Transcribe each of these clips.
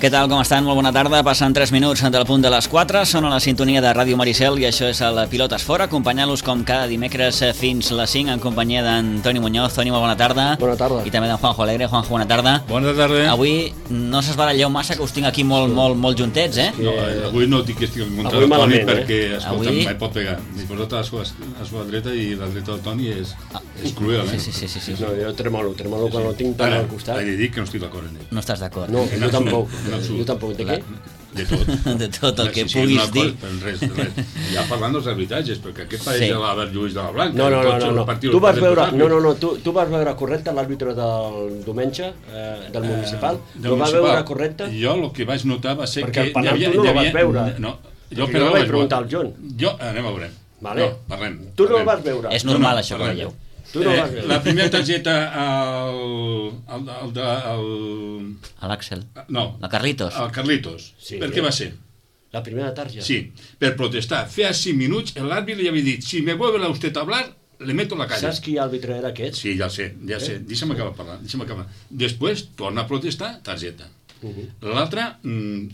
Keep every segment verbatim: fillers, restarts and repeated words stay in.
Què tal, com estan? Molt bona tarda. Passen tres minuts del punt de les quatre. Són a la sintonia de Ràdio Maricel i això és el Pilotes Fora, acompanyant-los com cada dimecres fins les cinc en companyia d'en Toni Muñoz. Toni, molt bona tarda. Bona tarda. I també d'en Juanjo Alegre. Juanjo, bona tarda. Bona tarda. Avui no s'esbaralleu massa, que us tinc aquí molt, molt, molt juntets, eh? No, avui no dic que estic en contra del Toni perquè, eh? escolta, avui... mai pot pegar. M'he posat a la seva, a la seva dreta i la dreta del Toni és, ah, és cruel, eh? Sí, sí, sí, sí. No, jo tremolo, tremolo sí, quan sí. no tinc tant al costat. Ara, he de dir que no estic d'acord en ell. No estàs d'acord? No, en jo absolut, tampoc. En absolut. Jo tampoc. De què? De tot. De tot el que sí, puguis sí, dir. Cosa, res, res. Ja parlant dels arbitratges, perquè aquest pareix Sí. de l'Albert Lluís de la Blanca. No, no, no, no, no. Tu vas veure, no, no, no, tu, tu vas veure correcte l'àrbitre del diumenge, eh, del municipal? Eh, Lo vas veure correcte? Jo el que vaig notar va ser perquè que... el penal havia, tu no el havia, vas veure. No, jo, jo no vaig preguntar al John. Jo, anem a veure. Vale. No, parlem. Tu no parlem. el vas veure. És normal, No, no, això que parlem. veieu. Tu no eh, vas veure. la primera targeta al... al, al, al, A l'Àxel. no, La Carlitos. al Carlitos. Sí. Per què va ser? La primera targeta. Sí, per protestar. Feia cinc minuts l'àrbitre li havia dit si me vuelve a usted a hablar, le meto la calle. Saps qui àrbitre era aquest? Sí, ja sé, ja sé. Eh? Deixa'm acabar parlant, deixa'm acabar. Després torna a protestar, targeta. Uh -huh. L'altra, mm,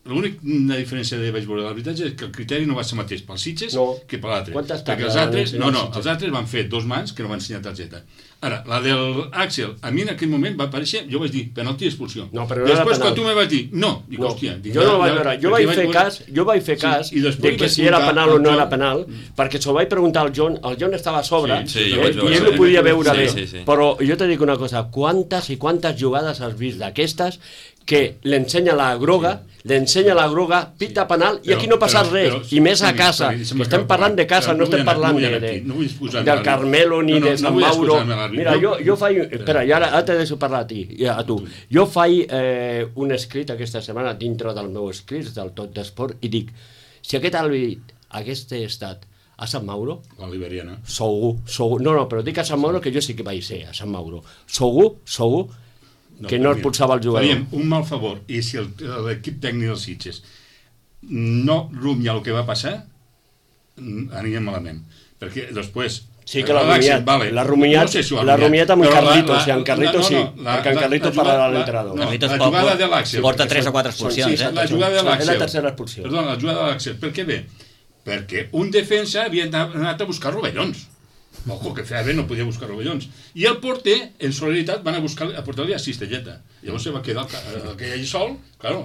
l'única diferència de vaig veure de l'arbitratge és que el criteri no va ser mateix pels Sitges no. que per l'altre. Quantes perquè els altres, no, no, els altres van fer dos mans que no van ensenyar targeta. Ara, la del Àxel, a mi en aquell moment va aparèixer, jo vaig dir, penalti i expulsió. No, però no després, era quan penal. tu me vas dir, no, dic, no. hòstia... Dic, jo no el vaig veure, jo vaig fer veure... cas, jo vaig fer cas sí, de que si era penal o no era penal, perquè s'ho vaig preguntar al John, el John estava a sobre, sí, sí, eh, veure, i ell ho podia veure sí, bé, sí, sí. però jo te dic una cosa, quantes i quantes jugades has vist d'aquestes que l'ensenya la groga, l'ensenya la groga, pita penal, i aquí no passa res, i més a casa, estem parlant de casa, no estem parlant del Carmelo ni de Sant Mauro. Mira, jo, jo faig, espera, i ara te deixo parlar a ti, a tu. Jo faig eh, un escrit aquesta setmana dintre del meu escrit, del Tot d'Esport, i dic, si aquest àrbit hagués estat a Sant Mauro, la Liberiana, segur, segur, no, no, però dic a Sant Mauro que jo sí que vaig ser a Sant Mauro, segur, segur, que no expulsava el jugador. Faríem un mal favor, i si l'equip tècnic dels Sitges no rumia el que va passar, anirem malament. Perquè després... Sí que l'ha rumiat, vale. l'ha rumiat, no sé si l'ha rumiat amb en Carlitos, i en Carlitos sí, perquè en Carlitos parlarà l'entrenador. No, la jugada de l'Àxel... Porta tres o quatre expulsions, sí, eh? La jugada de l'Àxel... És la tercera expulsió. Perdona, la jugada de l'Àxel, per què ve? Perquè un defensa havia anat a buscar rovellons. Ojo, que feia bé, no podia buscar rovellons. I el porter, en solidaritat, van a buscar a portar-li a Cistelleta. Llavors se va quedar aquell allà sol, claro,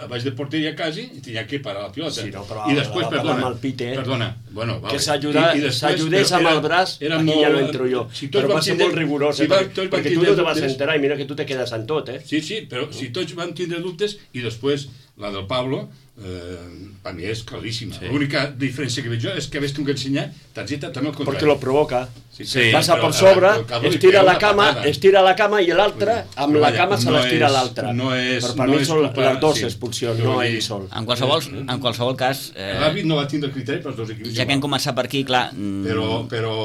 baix de porteria quasi, i tenia que parar la pilota. Sí, no, però I després, perdona, el pit, eh? perdona, bueno, vale. Que s'ajudés amb el braç, era aquí molt, ja no entro jo. Si però va ser tindre, molt rigorós, si eh? va, perquè, perquè tu no te vas enterar i mira que tu te quedes en tot, eh? Sí, sí, però si tots van tindre dubtes, i després la del Pablo, eh, per mi és claríssima. Sí. L'única diferència que veig jo és que hagués tingut que ensenyar targeta també al contrari. Perquè lo provoca. Sí, sí, passa per sobre, estira la cama, estira la cama i l'altre, amb la cama se l'estira l'altre. No és, però per no mi són culpa, les dues sí, expulsions, no ell sol. En qualsevol, en qualsevol cas... Eh, L'àrbit no va tindre criteri pels dos equips. Ja que hem començat per aquí, clar... Però, però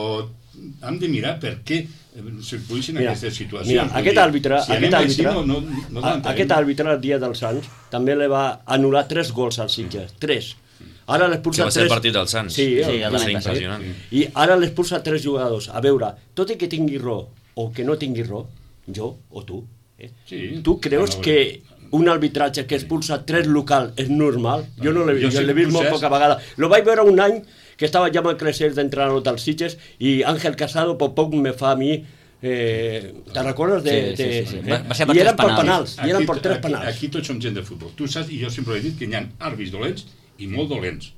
hem de mirar per què se produeixen mira, aquestes situacions. Mira, aquest àrbitre, si aquest, àrbitre així, no, no, no aquest àrbitre, el dia dels Sants, també li va anul·lar tres gols als Sitges, tres. Ara l'expulsa que va ser tres... el partit dels Sants. Sí, sí, el, va ser impressionant. Sí. I ara l'expulsa tres jugadors. A veure, tot i que tingui raó o que no tingui raó, jo o tu, eh? Sí, tu creus no, que un arbitratge que expulsa tres local és normal? Jo no l'he vist, jo l'he vist molt poca vegada. Lo vaig veure un any que estava ja amb el Crescers d'entrenador dels Sitges i Ángel Casado poc poc me fa a mi. Eh, te recordes de... Sí, sí, sí, sí. Eh? Va, va ser per I eren per penals. penals, i eren per tres aquí, penals. Aquí tots som gent de futbol. Tu saps, i jo sempre he dit que hi ha àrbits dolents i molt dolents.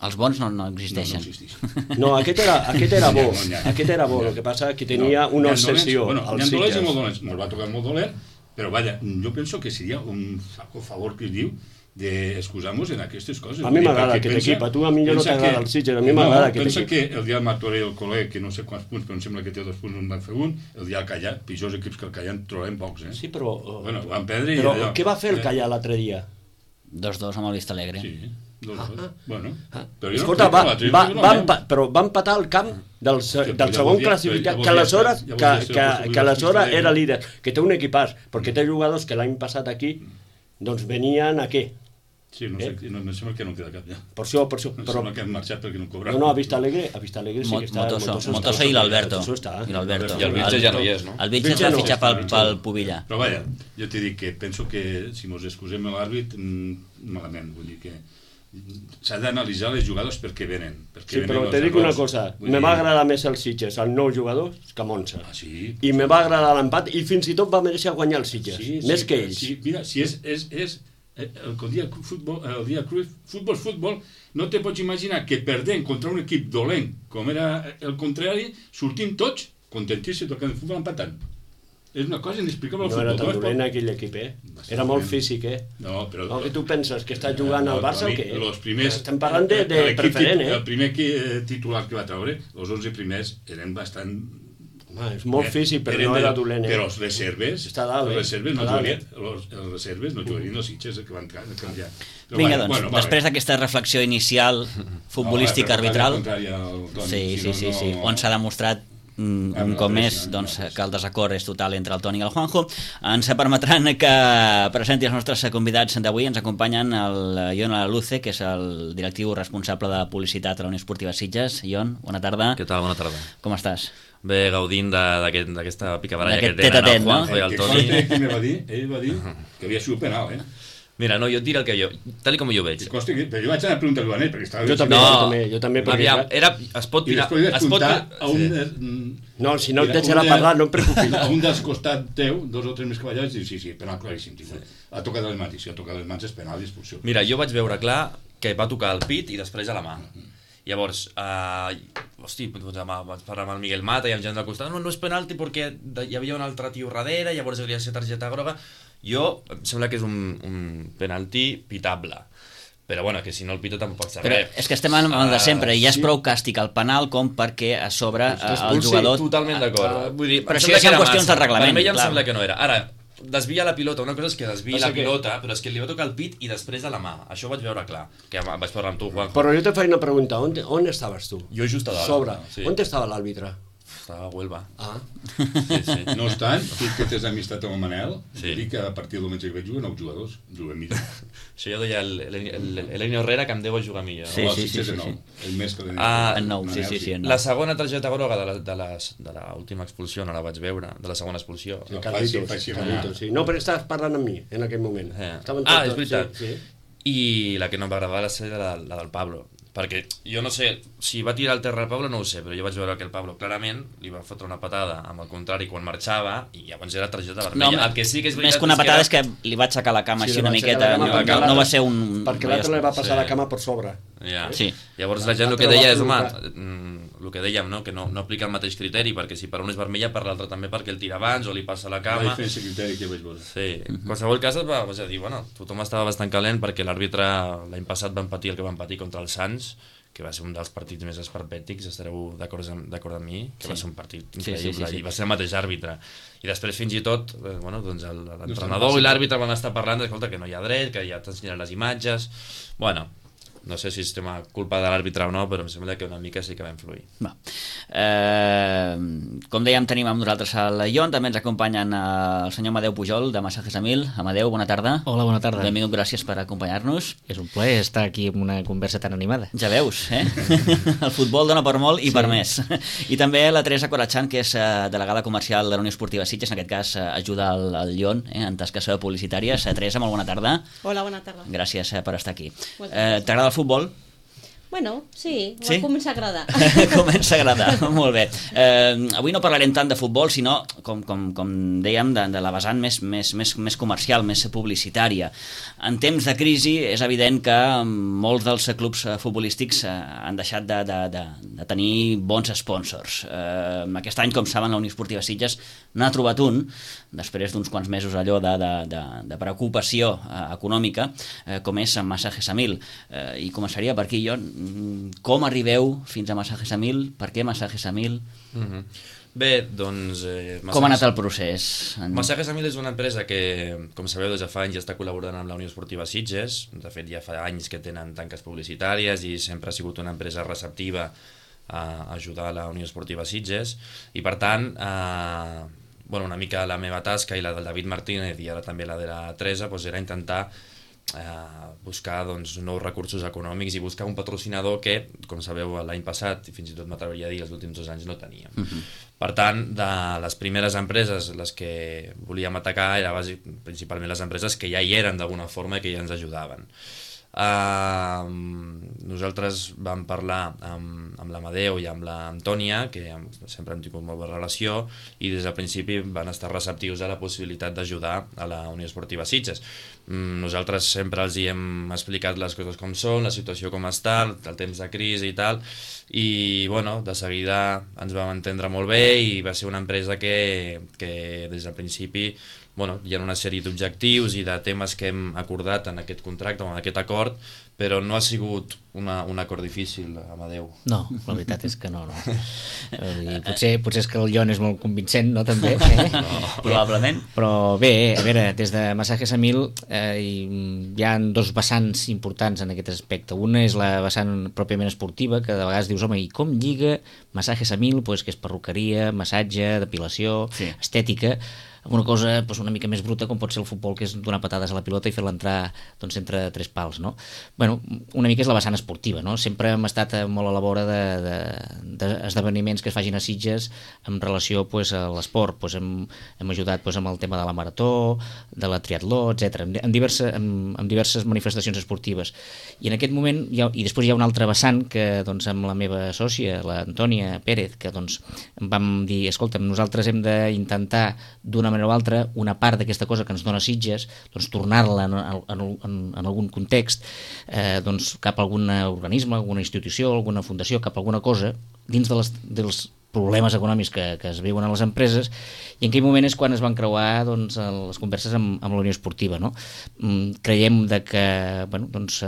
Els bons no, no existeixen. No, no existeixen. No, aquest era, aquest era bo, No, no, no, aquest era bo, el que passa que tenia no, una dolents, obsessió bueno, als Sitges. Hi ha dolents i molt Sitges. dolents. Me'l va tocar molt dolent, però vaja, jo penso que seria un favor que es diu d'excusar-nos en aquestes coses. A mi m'agrada aquest equip, a tu a mi no t'agrada el Sitges, a mi m'agrada aquest equip. Pensa que el dia Martorell, el col·leg, que no sé quants punts, però em sembla que té dos punts, en van fer un, el dia Callar, pitjors equips que el Callar en trobem pocs, eh? Sí, però... Bueno, van perdre i però allò... què va fer el Callar l'altre dia? Dos dos amb el Vista Alegre. Sí, dos dos. Ah, Bueno, ah. però jo Escolta, no va, l'altre, va, jo va, no, empa, però va empatar el camp del, se- Sí, del ja segon volia- classificat, ja que volia aleshores, ser- ja que, volia ser que, el que aleshores possible era líder, que té un equipàs, perquè té jugadors que l'any passat aquí doncs venien a què? Sí, no sé, eh? no, no sembla que no queda cap ja. Per això, per això. No però... sembla que han marxat perquè no cobraven. No, no, a Vista Alegre, a Vista Alegre sí que està... Motoso, Motoso i l'Alberto. I l'Alberto. I el Vilche ja no hi és, no? El Vilche es va fitxar pel, pel Pubilla. Però vaja, jo t'he dit que penso que si mos excusem l'àrbit, malament, vull dir que s'ha d'analitzar les jugades perquè venen. Perquè sí, però te dic una cosa, me va agradar més el Sitges, el nou jugador, que Monza. Ah, sí? I me va agradar l'empat i fins i tot va mereixer guanyar el Sitges, sí, més sí, que ells. Sí, mira, si és... és, és el dia futbol, el dia futbol, futbol, no te pots imaginar que perdent contra un equip dolent, com era el contrari, sortim tots contentíssims tocant el futbol empatant. És una cosa inexplicable al futbol. No era tan dolent aquell equip, eh? Era molt físic, eh? No, però... No, que tu penses, que estàs jugant al Barça o què? Los primers... Estem parlant de, de preferent, eh? El primer titular que va treure, els onze primers, eren bastant... Home, és molt físic, però no era dolent, eh? Però els reserves... Està dalt, eh? Els reserves no jugarien, els reserves no jugarien els Sitges que van canviar. Vinga, doncs, després d'aquesta reflexió inicial futbolística arbitral... Sí, sí, sí, sí, on s'ha demostrat un cop més doncs, que el desacord és total entre el Toni i el Juanjo. Ens permetran que presenti els nostres convidats d'avui. Ens acompanyen el Ion Luce, que és el directiu responsable de publicitat a la Unió Esportiva Sitges. Ion, bona tarda. Què tal? Bona tarda. Com estàs? Bé, gaudint d'aquesta picabaralla que tenen el Juanjo i el Toni. Què me va dir? Ell va dir que havia sigut penal, eh? Mira, no, jo et diré el que jo, tal com jo veig. Costa, però jo vaig anar a preguntar-ho a ell, perquè estava... Jo també, no, jo també, jo també. Perquè... Aviam, era, es pot I tirar... després vaig apuntar a un... Sí. No, si no et deixarà parlar, no em preocupis. A un dels costats teu, dos o tres més cavallars, i sí, sí, penal claríssim. Sí. Ha tocat les mans, i si ha tocat les mans és penal i expulsió. Mira, jo vaig veure clar que va tocar el pit i després a la mà. Llavors, uh, hosti, doncs, vaig parlar amb el Miguel Mata i amb gent del costat, no, no és penalti perquè hi havia un altre tio darrere, llavors hauria de ser targeta groga. Jo, em sembla que és un, un penalti pitable. Però bueno, que si no el pito tampoc pot ser però res. És que estem en el de sempre, i ja és prou càstig al penal com perquè a sobre el jugador... Totalment d'acord. Vull dir, però això ja són qüestions de reglament. Per mi ja em sembla que no era. Ara, desvia la pilota, una cosa és que desvia la pilota, però és que li va tocar el pit i després a la mà. Això ho vaig veure clar, que vaig parlar amb tu, Juanjo. Però jo te faig una pregunta, on, on estaves tu? Jo just a dalt. Sobre. Sí. On estava l'àrbitre? Estava a Huelva. Ah. Sí, sí. No obstant, tu que tens amistat amb el Manel, sí. Dic que a partir del diumenge que veig juguen nou jugadors, juguen millor. Això ja deia l'Eleni Herrera que em deu jugar millor. Sí, sí, sí, sí, sí. El més que l'Eleni. Ah, en nou, sí, sí, sí, en nou. La segona targeta groga de, la, de, les, de l'última expulsió, no la vaig veure, de la segona expulsió. Sí, Carlitos, Carlitos, sí. No, però estaves parlant amb mi en aquell moment. Eh. Ah, és veritat. Sí, sí. I la que no em va agradar va ser la, la del Pablo. Perquè jo no sé, si va tirar al terra el Pablo no ho sé, però jo vaig veure que el Pablo clarament li va fotre una patada amb el contrari quan marxava i llavors era targeta vermella. No, el que sí que és veritat més que una patada és que, és que li va aixecar la cama sí, així una miqueta, no, no va ser un... Perquè l'altre li va passar sí. la cama per sobre. Ja. Sí. Llavors la gent el que deia és, home, el que dèiem, no? Que no, no aplica el mateix criteri, perquè si per un és vermella, per l'altre també perquè el tira abans o li passa la cama. La diferència criteri que vaig veure. Sí, en qualsevol cas va, vas a dir, bueno, tothom estava bastant calent perquè l'àrbitre l'any passat van patir el que van patir contra els Sants, que va ser un dels partits més esperpètics, estareu d'acord amb mi, que sí. Va ser un partit increïble, sí, sí, sí, sí. I va ser el mateix àrbitre. I després fins i tot, eh, bueno, doncs l'entrenador i l'àrbitre van estar parlant d'escolta, que no hi ha dret, que ja t'ensenyaran les imatges... Bueno, no sé si és tema culpa de l'àrbitre o no, però em sembla que una mica sí que va influir. Va. Eh, com dèiem, tenim amb nosaltres el Ion, també ens acompanyen el senyor Amadeu Pujol, de Masajes Amil. Amadeu, bona tarda. Hola, bona tarda. Benvingut, gràcies per acompanyar-nos. És un plaer estar aquí amb una conversa tan animada. Ja veus, eh? El futbol dona per molt i sí. per més. I també la Teresa Corachan, que és delegada comercial de la Unió Esportiva Sitges, en aquest cas ajuda el, el Ion eh, en tasques publicitàries. Teresa, molt bona tarda. Hola, bona tarda. Gràcies per estar aquí. Eh, T'agrada el futbol? Bueno, sí, sí? Comença a agradar. Comença a agradar, molt bé. Eh, avui no parlarem tant de futbol, sinó, com, com, com dèiem, de, de la vessant més, més, més, més comercial, més publicitària. En temps de crisi és evident que molts dels clubs futbolístics han deixat de, de, de, de tenir bons sponsors. Eh, aquest any, com saben, la Unió Esportiva Sitges n'ha trobat un, després d'uns quants mesos allò de, de, de, de preocupació eh, econòmica, eh, com és Masajes Amil. Eh, I començaria per aquí, Ion. Com arribeu fins a Masajes Amil? Per què Masajes Amil? Mm-hmm. Bé, doncs... Eh, Masajes... Com ha anat el procés? En... Masajes Amil és una empresa que, com sabeu, des de fa anys ja està col·laborant amb la Unió Esportiva Sitges. De fet, ja fa anys que tenen tanques publicitàries i sempre ha sigut una empresa receptiva a ajudar a la Unió Esportiva Sitges. I, per tant, eh, bueno, una mica la meva tasca i la del David Martínez i ara també la de la Teresa doncs era intentar eh, buscar doncs, nous recursos econòmics i buscar un patrocinador que, com sabeu, l'any passat, i fins i tot m'atreviria a dir els últims dos anys, no teníem. Uh-huh. Per tant, de les primeres empreses, les que volíem atacar, eren bàsic, principalment les empreses que ja hi eren d'alguna forma i que ja ens ajudaven. Uh, nosaltres vam parlar amb, amb l'Amadeu i amb l'Antònia, que sempre hem tingut molt bona relació, i des del principi van estar receptius a la possibilitat d'ajudar a la Unió Esportiva Sitges. um, nosaltres sempre els hi hem explicat les coses com són, la situació com està, el temps de crisi i tal, i bueno, de seguida ens vam entendre molt bé i va ser una empresa que, que des del principi, bueno, hi ha una sèrie d'objectius i de temes que hem acordat en aquest contracte o en aquest acord, però no ha sigut una, un acord difícil, Amadeu. No, la veritat és que no, no. I potser, potser és que el Jon és molt convincent, no, també? Eh? No, probablement. Però bé, a veure, des de Masajes Amil eh, hi ha dos vessants importants en aquest aspecte. Una és la vessant pròpiament esportiva, que de vegades dius, home, i com lliga Masajes Amil, pues, que és perruqueria, massatge, depilació, sí. estètica, una cosa pues, una mica més bruta com pot ser el futbol, que és donar patades a la pilota i fer-la entrar doncs, entre tres pals, no? Bueno, una mica és la vessant esportiva, no? Sempre hem estat molt a la vora d'esdeveniments de, de, que es facin a Sitges en relació pues, a l'esport. Pues, hem, hem ajudat pues, amb el tema de la marató, de la triatló, etcètera, en, en, diversa, en, en diverses manifestacions esportives. I en aquest moment, hi ha, i després hi ha un altre vessant que doncs, amb la meva sòcia, l'Antònia Pérez, que doncs, vam dir, escolta'm, nosaltres hem d'intentar d'una manera o altra, una part d'aquesta cosa que ens dona Sitges, doncs tornar-la en, en, en, en algun context eh, doncs cap a algun organisme, alguna institució, alguna fundació, cap a alguna cosa, dins de les, dels problemes econòmics que, que es viuen a les empreses, i en aquell moment és quan es van creuar doncs, les converses amb, amb la Unió Esportiva. No? Mm, creiem de que bueno, doncs,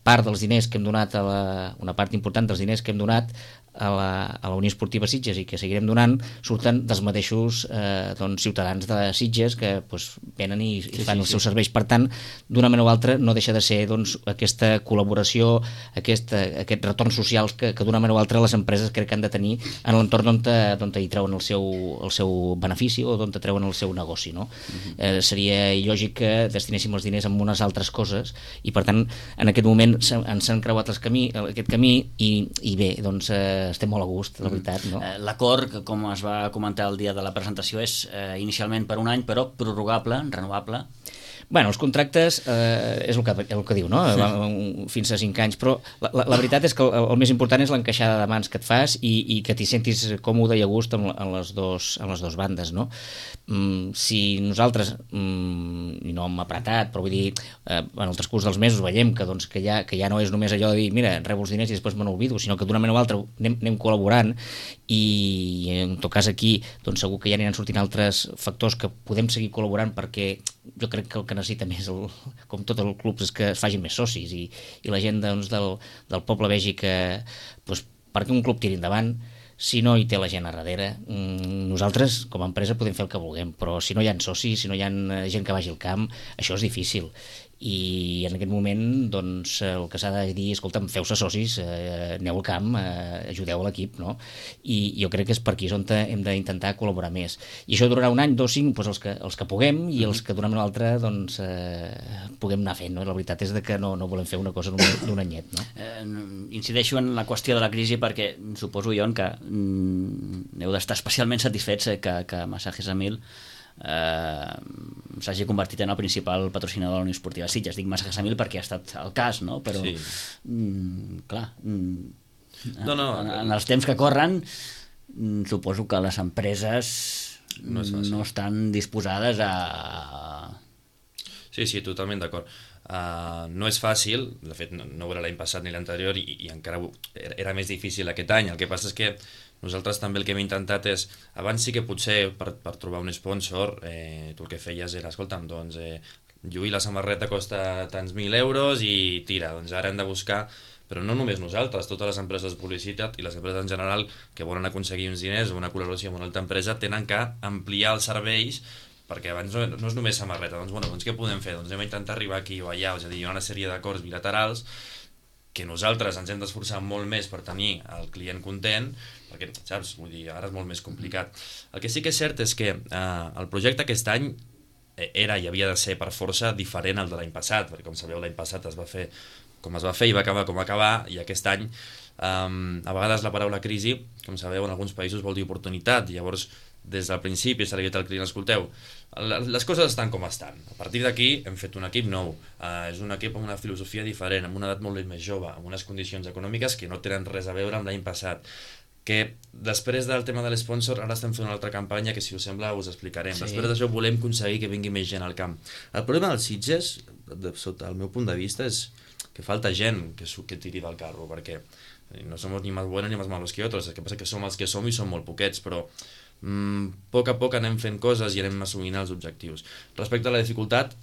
part dels diners que hem donat, a la, una part important dels diners que hem donat a la, a la Unió Esportiva Sitges i que seguirem donant, surten dels mateixos eh, doncs, ciutadans de Sitges que doncs, venen i, i fan sí, sí, els seus sí. serveis. Per tant, d'una manera o altra no deixa de ser doncs, aquesta col·laboració, aquesta, aquests retorns socials que, que d'una manera o altra les empreses crec que han de tenir en l'entorn on, te, on te hi treuen el seu, el seu benefici o on te treuen el seu negoci. No? Uh-huh. eh, seria il·lògic que destinéssim els diners en unes altres coses i per tant en aquest moment ens han creuat els camí, aquest camí i, i bé, doncs eh, estem molt a gust, la veritat. No? L'acord, com es va comentar el dia de la presentació, és eh, inicialment per un any, però prorrogable, renovable. Bueno, els contractes eh, és el que, el que diu, no? Sí. Fins a cinc anys, però la, la, la veritat és que el, el més important és l'encaixada de mans que et fas i, i que t'hi sentis còmode i a gust amb, amb, les, dos, amb les dues bandes, no? Mm, si nosaltres, mm, i no hem apretat, però vull dir, eh, en el transcurs dels mesos veiem que, doncs, que, ja, que ja no és només allò de dir, mira, rebo els diners i després me n'olvido, sinó que d'una manera o altra anem, anem col·laborant i en tot cas aquí doncs segur que ja aniran sortint altres factors que podem seguir col·laborant perquè jo crec que el que necessita més, el, com tot el club, és que es facin més socis i, i la gent doncs, del, del poble vegi que doncs, perquè un club tiri endavant, si no hi té la gent a darrere, nosaltres com a empresa podem fer el que vulguem, però si no hi ha socis, si no hi ha gent que vagi al camp, això és difícil. I en aquest moment doncs, el que s'ha de dir, escolta'm, feu-se socis, eh, aneu al camp, eh, ajudeu l'equip, no? I jo crec que és per aquí on hem d'intentar col·laborar més. I això durarà un any, dos, cinc, doncs els, que, els que puguem i els que d'una manera o altra doncs, eh, puguem anar fent. No? La veritat és que no, no volem fer una cosa d'un anyet. No? Eh, incideixo en la qüestió de la crisi perquè suposo jo que mm, heu d'estar especialment satisfets que, que Masajes Amil Eh, s'hagi convertit en el principal patrocinador de la Unió Esportiva Sitges. Dic Masajes Amil perquè ha estat el cas, no? Però sí. mm, clar mm, no, no, en, en els temps que corren mm, suposo que les empreses no, no estan disposades a... Sí, sí, totalment d'acord. Uh, no és fàcil, de fet no, no ho era l'any passat ni l'anterior i, i encara era, era més difícil aquest any. El que passa és que nosaltres també el que hem intentat és, abans sí que potser per, per trobar un sponsor, eh, tu el que feies era, escolta'm, doncs, eh, lluir la samarreta costa tants mil euros i tira, doncs ara hem de buscar, però no només nosaltres, totes les empreses de publicitat i les empreses en general que volen aconseguir uns diners o una col·laboració amb una altra empresa tenen que ampliar els serveis perquè abans no, no és només samarreta, doncs, bueno, doncs què podem fer? Doncs hem d'intentar arribar aquí o allà, és a dir, hi ha una sèrie d'acords bilaterals que nosaltres ens hem d'esforçar molt més per tenir el client content, perquè, saps, vull dir, ara és molt més complicat. El que sí que és cert és que eh, el projecte aquest any era i havia de ser per força diferent al de l'any passat, perquè com sabeu l'any passat es va fer com es va fer i va acabar com va acabar, i aquest any um, a vegades la paraula crisi, com sabeu, en alguns països vol dir oportunitat, i llavors des del principi s'ha dit al client, escolteu, les coses estan com estan, a partir d'aquí hem fet un equip nou, uh, és un equip amb una filosofia diferent, amb una edat molt més jove, amb unes condicions econòmiques que no tenen res a veure amb l'any passat, que després del tema de l'esponsor ara estem fent una altra campanya que, si us sembla, us explicarem. Sí. Després d'això volem aconseguir que vingui més gent al camp. El problema dels Sitges, de, sota el meu punt de vista, és que falta gent que, que tiri del carro, perquè no som ni més buenos ni més malos que altres, el que passa que som els que som i som molt poquets, però mm, a poc a poc anem fent coses i anem assumint els objectius. Respecte a la dificultat,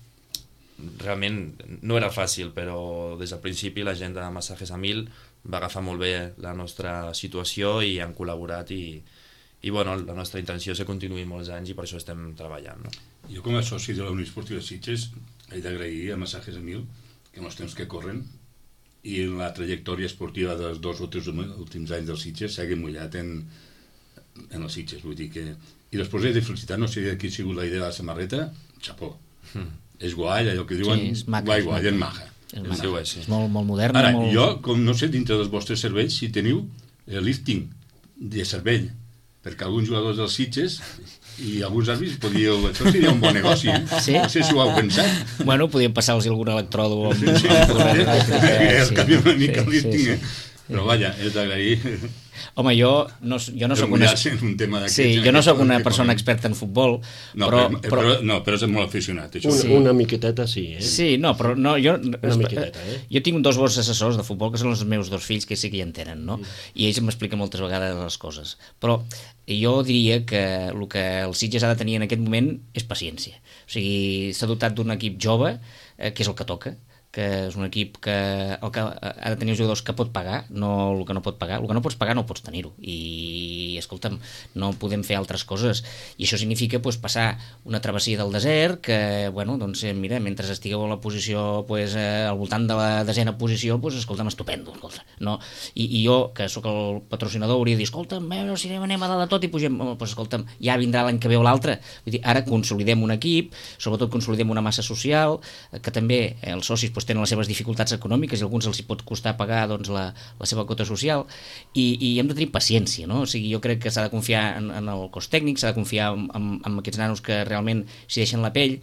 realment no era fàcil, però des del principi la gent de Masajes a Mil va agafar molt bé la nostra situació i han col·laborat i, i bueno, la nostra intenció és que continuï molts anys i per això estem treballant. No? Jo com a soci de la Unió Esportiva Sitges he d'agrair a Masajes a Mil que en els temps que corren i en la trajectòria esportiva dels dos o tres últims anys dels Sitges s'hagi mullat en, en els Sitges, vull dir que... I després he de felicitar, no sé qui ha sigut la idea de la samarreta, xapó. Mm. És guai, allò que diuen, sí, és maca, guai, guai, és maca. És, és, maca. sí. És molt, molt moderna. Ara, molt... jo, com no sé, dintre dels vostres cervells, si teniu el lifting de cervell, perquè alguns jugadors dels Sitges i alguns àrbits podíeu... Això seria un bon negoci, eh? Sí? No sé si ho heu pensat. Bueno, podíem passar-los algun electrodo amb... Sí, sí, el sí, canvi una mica sí, el lifting, sí, eh? Però vaja, és d'agrair... Home, jo no, jo no soc una... un tema sí, jo no soc una persona experta en futbol, no, però, però, però... però... No, però és molt aficionat, això. Un, Sí. Una miqueteta sí, eh? Sí, no, però no, jo... Una miqueteta, eh? Jo tinc dos bons assessors de futbol, que són els meus dos fills, que sí que hi entenen, no? Mm. I ells m'expliquen moltes vegades les coses. Però jo diria que el que el Sitges ha de tenir en aquest moment és paciència. O sigui, s'ha dotat d'un equip jove, eh, que és el que toca, que és un equip que, el que ha de tenir els jugadors que pot pagar, no el que no pot pagar. El que no pots pagar no pots tenir-ho. I, escolta'm, no podem fer altres coses. I això significa pues, passar una travessia del desert que, bueno, doncs, mira, mentre estigueu a la posició, pues, eh, al voltant de la desena posició, pues, escolta'm, estupendo. Escolta, no? I, I jo, que sóc el patrocinador, hauria de dir, escolta'm, veure si anem a dalt de tot i pugem. Pues, escolta'm, ja vindrà l'any que ve o l'altre. Vull dir, ara consolidem un equip, sobretot consolidem una massa social, que també eh, els socis pues, tenen les seves dificultats econòmiques i a alguns els hi pot costar pagar doncs, la, la seva quota social i, i hem de tenir paciència, no? O sigui, jo crec que s'ha de confiar en, en el cos tècnic, s'ha de confiar en, en, en aquests nanos que realment s'hi deixen la pell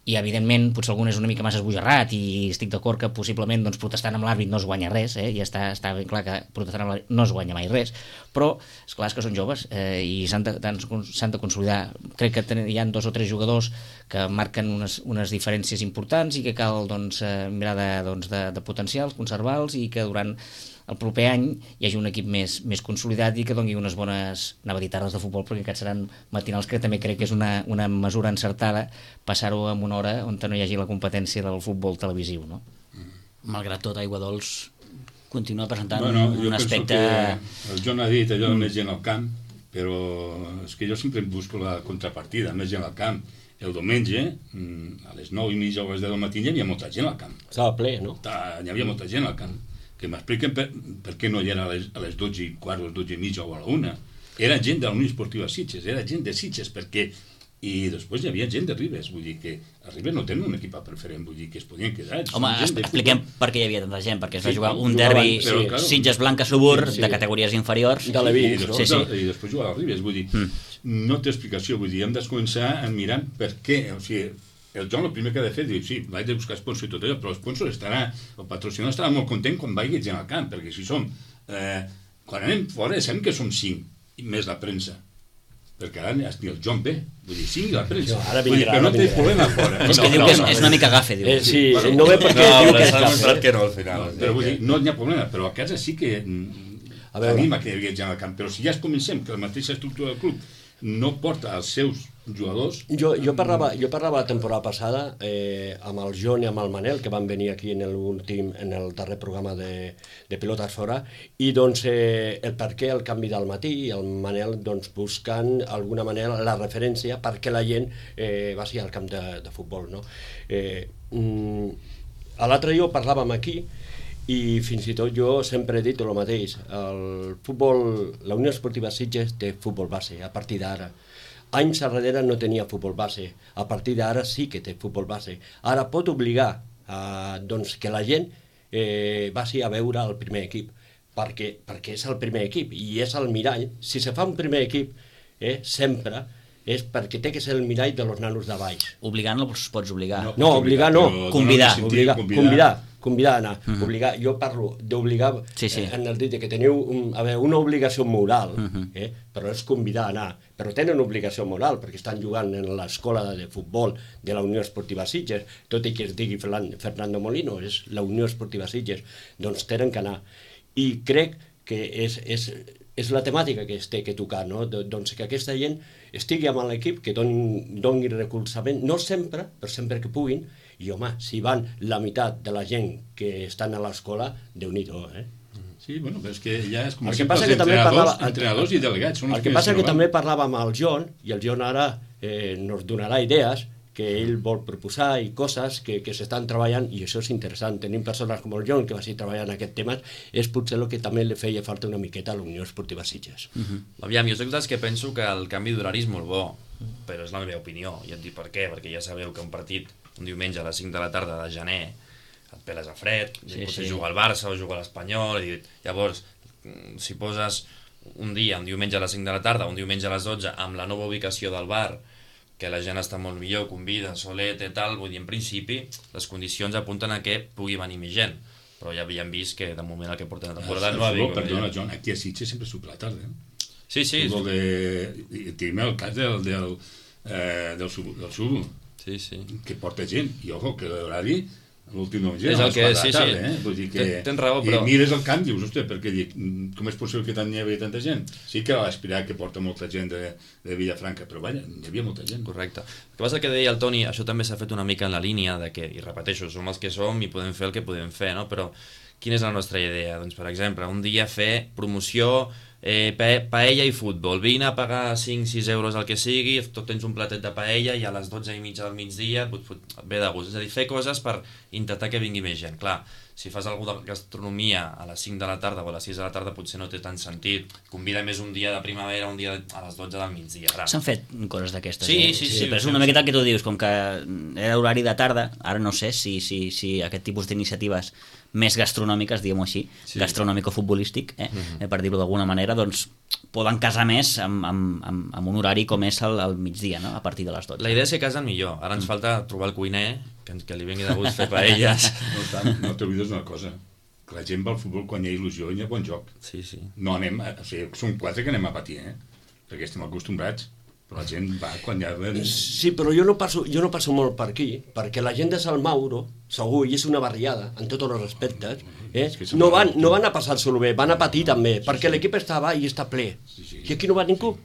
i evidentment potser algun és una mica massa esbojarrat i estic d'acord que possiblement doncs, protestant amb l'àrbit no es guanya res, eh? Ja està, està ben clar que protestant amb l'àrbit no es guanya mai res, però esclar és que són joves eh, i s'han de, s'han de consolidar. Crec que ten, hi ha dos o tres jugadors que marquen unes, unes diferències importants i que cal doncs, eh, mirar de, doncs, de, de potencials, conservar-los i que durant el proper any hi hagi un equip més, més consolidat i que doni unes bones, anava a dir tardes de futbol, perquè aquests seran matinals, que també crec que és una, una mesura encertada passar-ho en una hora on no hi hagi la competència del futbol televisiu, no? Malgrat tot, Aigua Dols continua presentant bueno, un aspecte... El John ha dit allò, mm. més gent al camp, però és que jo sempre busco la contrapartida, més gent al camp. El diumenge, a les nou i mitja o a les deu del matí, hi havia molta gent al camp. Estava ple, no? Hi havia molta gent al camp. Que m'expliquen per, per què no hi era a les, a les dotze i quart, o les dotze i mitja o a la una. Era gent de la Unió Esportiva Sitges, era gent de Sitges, perquè... I després hi havia gent de Ribes, vull dir que a Ribes no tenen un equip preferent, vull dir que es podien quedar. Home, expliquem per què hi havia tanta gent, perquè es va sí, jugar un derbi sí, claro. Sitges Blanca Subur sí, sí. de categories inferiors. De l'Evins, I, després, sí, sí. I després jugar a Ribes, vull dir, mm. no té explicació, vull dir, hem de començar a mirar per què, o sigui, el John el primer que ha de fer, diu, sí, vaig de buscar sponsor i tot allò, però l'sponsor estarà, el patrocinador estarà molt content quan vagi gent al camp, perquè si som, eh, quan anem fora, sabem que som cinc, més la premsa, perquè ara ni el John B, vull dir, cinc la premsa, ara vull dir, però no té problema fora. És que no, diu que és, és una mica gafe, diu. Eh, sí, bueno, no ve perquè no, diu que és s'ha demostrat gafe. que no al final. No, però vull dir, no hi ha problema, però a casa sí que a veure. anima que hi havia gent al camp, però si ja es comencem que la mateixa estructura del club no porta els seus jugadors... Jo, jo, parlava, jo parlava la temporada passada eh, amb el John i amb el Manel, que van venir aquí en l'últim, en el darrer programa de, de Pilotes Fora, i doncs eh, el per què el canvi del matí, i el Manel doncs, buscant alguna manera la referència perquè la gent eh, va ser al camp de, de futbol. No? Eh, mm, a l'altre dia parlàvem aquí, i fins i tot jo sempre he dit el mateix, el futbol, la Unió Esportiva Sitges té futbol base a partir d'ara. anys darrere no tenia futbol base, a partir d'ara sí que té futbol base. Ara pot obligar a, doncs, que la gent eh, vagi a veure el primer equip, perquè, perquè és el primer equip i és el mirall. Si se fa un primer equip, eh, sempre, és perquè té que ser el mirall de los nanos de baix. Obligant no els pots obligar. No, no obligar no. Convidar. Obligar, convidar, convidar a anar. Uh -huh. Obligar, jo parlo d'obligar sí, sí. eh, en el dit que teniu un, a veure, una obligació moral, uh -huh. eh, però és convidar a anar. Però tenen obligació moral perquè estan jugant en l'escola de futbol de la Unió Esportiva Sitges, tot i que es digui Fernando Molino, és la Unió Esportiva Sitges, doncs tenen que anar. I crec que és, és, és la temàtica que es té que tocar, no? Doncs que aquesta gent estigui amb l'equip, que doni, doni recolzament, no sempre, però sempre que puguin, i home, si van la meitat de la gent que estan a l'escola, Déu-n'hi-do, eh? Sí, bueno, però és que ja és com el si que passa els que també entrenadors, parlava, entrenadors i delegats. Són els el que passa que també parlàvem amb el John, i el John ara eh, nos donarà idees, que ell vol proposar i coses que, que s'estan treballant, i això és interessant. Tenim persones com el John que va ser treballant en aquest tema, és potser el que també li feia falta una miqueta a la Unió Esportiva Sitges. Uh -huh. Aviam, jo soc dels que penso que el canvi d'horari és molt bo, però és la meva opinió, i et dic per què, perquè ja sabeu que un partit un diumenge a les cinc de la tarda de gener et peles a fred, sí, potser sí. Juga al Barça o juga a l'Espanyol, i llavors si poses un dia, un diumenge a les cinc de la tarda, un diumenge a les dotze, amb la nova ubicació del bar, que la gent està molt millor, convida, solet i tal, vull dir, en principi, les condicions apunten a que pugui venir més gent, però ja havíem vist que de moment el que porten la temporada no ha vingut. Perdona, Joan, aquí a Sitges sempre surt la tarda, eh? Sí, sí. Tenim el cas del, del, eh, del, sub, del Subo, sí, sí. que porta gent, i ojo, que l'horari l'últim nou és el que, sí, tarda, sí, eh? Vull dir que, tens raó, però... I mires el camp, dius, hòstia, perquè dic, com és possible que tant n'hi havia tanta gent? Sí que va aspirar que porta molta gent de, de Vilafranca, però vaja, hi havia molta gent. Correcte. El que passa que deia el Toni, això també s'ha fet una mica en la línia de que, i repeteixo, som els que som i podem fer el que podem fer, no? Però quina és la nostra idea? Doncs, per exemple, un dia fer promoció eh, pa paella i futbol, vine a pagar cinc sis euros el que sigui, tot tens un platet de paella i a les dotze i mitja del migdia et ve de gust, és a dir, fer coses per intentar que vingui més gent. Clar, si fas alguna de gastronomia a les cinc de la tarda o a les sis de la tarda potser no té tant sentit, convida més un dia de primavera, un dia a les dotze del migdia. S'han fet coses d'aquestes, sí, eh? sí, sí, sí, però és una miqueta el que tu dius, com que era horari de tarda, ara no sé si, si, si aquest tipus d'iniciatives més gastronòmiques, diguem-ho així, sí. Gastronòmico-futbolístic, eh? Uh-huh. eh, per dir-ho d'alguna manera, doncs poden casar més amb, amb, amb, amb un horari com és el, el migdia, no? A partir de les dotze. La idea és que casen millor, ara ens falta trobar el cuiner, que, que li vingui de gust fer paelles. No tant, no t'oblides una cosa, que la gent va al futbol quan hi ha il·lusió i hi ha bon joc. Sí, sí. No anem, a, o sigui, som quatre que anem a patir, eh? Perquè estem acostumbrats. Però la gent va quan hi ha... Sí, però jo no passo, jo no passo molt per aquí, perquè la gent de Salmauro, segur, i és una barriada, en tots els respectes, eh? no, van, no van a passar-se-lo bé, van a patir també, sí, perquè sí. L'equip està baix i està ple. Sí, sí. I aquí no va ningú.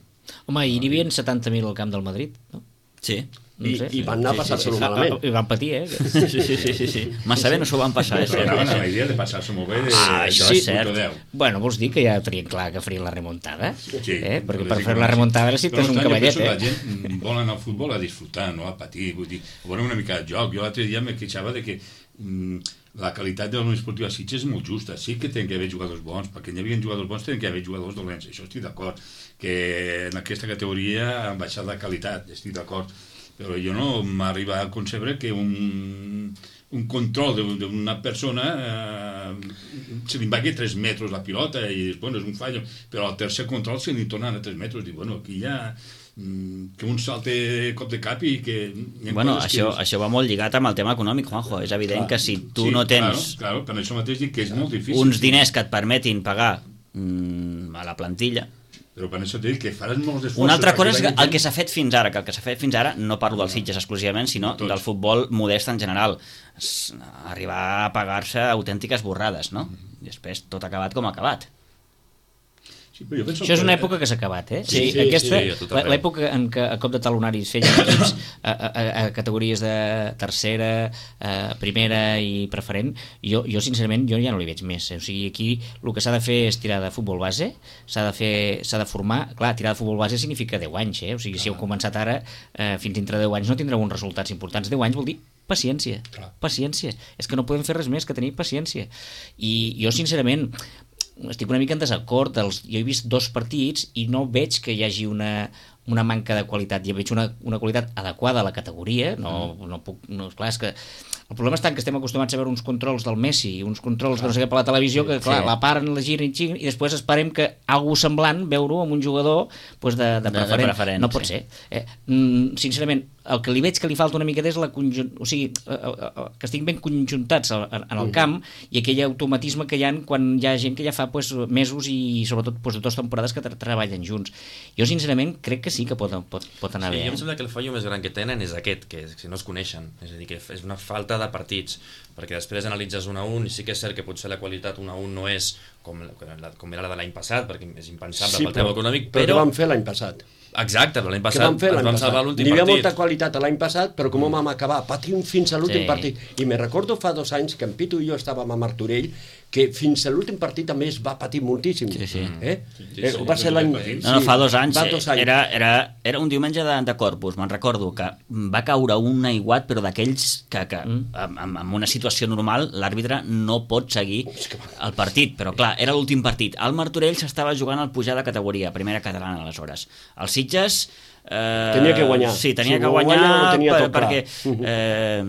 Home, i n'hi havia setanta mil al camp del Madrid, no? Sí. I, no sé, i van anar a passar-se-lo sí, sí, sí. malament. I van patir, eh? Sí, sí, sí, sí, sí. Massa bé no s'ho van passar, eh? Però anaven amb la idea de passar-se molt bé de... Ah, això sí, és cert. Bueno, vols dir que ja tenien clar que farien la remuntada? Sí. Eh? Perquè per fer la remuntada necessites un cavallet, eh? La gent vol anar al futbol a disfrutar, no a patir, vull dir, a veure una mica de joc. Jo l'altre dia me queixava de que mm, la qualitat de la Unió Esportiva Sitges és molt justa. Sí que tenen que haver jugadors bons, perquè hi havia jugadors bons, tenen que haver jugadors dolents. Això estic d'acord. Que en aquesta categoria han baixat la qualitat, estic d'acord. Però jo no m'arriba a concebre que un, un control d'una persona eh, se li vagi tres metres la pilota i bueno, és un fallo, però al tercer control se li tornen a tres metres. Dic, bueno, aquí ja que un salte cop de cap i que... Bueno, això, que... això va molt lligat amb el tema econòmic, Juanjo. És evident clar, que si tu sí, no tens claro, claro, per això mateix dic que és molt difícil. uns diners que et permetin pagar mm, a la plantilla, però per això t'he dit que faràs molts esforços. Una altra cosa és que el que s'ha fet fins ara, que el que s'ha fet fins ara, no parlo dels Sitges exclusivament, sinó Tots. del futbol modest en general. Arribar a pagar-se autèntiques borrades, no? I després tot acabat com ha acabat. Sí, però jo penso Això és que... una època que s'ha acabat, eh? Sí, sí, aquesta, sí, sí, l'època en què a cop de talonaris feien equips a, a, a categories de tercera, a primera i preferent, jo, jo sincerament jo ja no li veig més. O sigui, aquí el que s'ha de fer és tirar de futbol base, s'ha de fer, s'ha de formar... Clar, tirar de futbol base significa deu anys, eh? O sigui, si heu començat ara, eh, fins dintre deu anys no tindreu uns resultats importants. deu anys vol dir paciència, Clar. paciència. És que no podem fer res més que tenir paciència. I jo, sincerament, estic una mica en desacord. Els, jo he vist dos partits i no veig que hi hagi una, una manca de qualitat. Jo veig una, una qualitat adequada a la categoria. No, no puc, no, clar, és que el problema està que estem acostumats a veure uns controls del Messi, uns controls de no sé què per la televisió, que clar, sí. la paren, la giren, giren, i després esperem que algú semblant veure-ho amb un jugador pues, de, de, preferent. de preferent. No pot sí. ser. Eh, sincerament, el que li veig que li falta una mica és la conjunt... o sigui, que estiguin ben conjuntats en el camp i aquell automatisme que hi ha quan hi ha gent que ja fa pues, mesos i sobretot pues, dues temporades que treballen junts. Jo sincerament crec que sí que pot, pot, pot anar sí, bé. Jo em eh? sembla que el fallo més gran que tenen és aquest, que, que no es coneixen, és a dir, que és una falta de partits, perquè després analitzes un a un i sí que és cert que potser la qualitat un a un no és com, com era la de l'any passat, perquè és impensable sí, pel tema econòmic, però... però... Però què vam fer l'any passat? Exacte, però l'any passat vam fer ens vam salvar l'últim partit. N'hi havia molta qualitat l'any passat, però com vam acabar patint fins a l'últim sí. partit. I me recordo fa dos anys que en Pitu i jo estàvem a Martorell, que fins a l'últim partit també es va patir moltíssim. Sí, sí. Eh? Sí, sí, eh, sí, va ser l'any... No, no, fa dos anys, fa dos anys. Era, era, era un diumenge de, de Corpus, me'n recordo, que va caure un aiguat, però d'aquells que, que en, en una situació normal l'àrbitre no pot seguir el partit, però clar, era l'últim partit. El Martorell s'estava jugant al pujar de categoria, primera catalana aleshores. Els Sitges... Eh, tenia que guanyar. Sí, tenia si que guanyar, guanya, tenia per, tot perquè... Eh,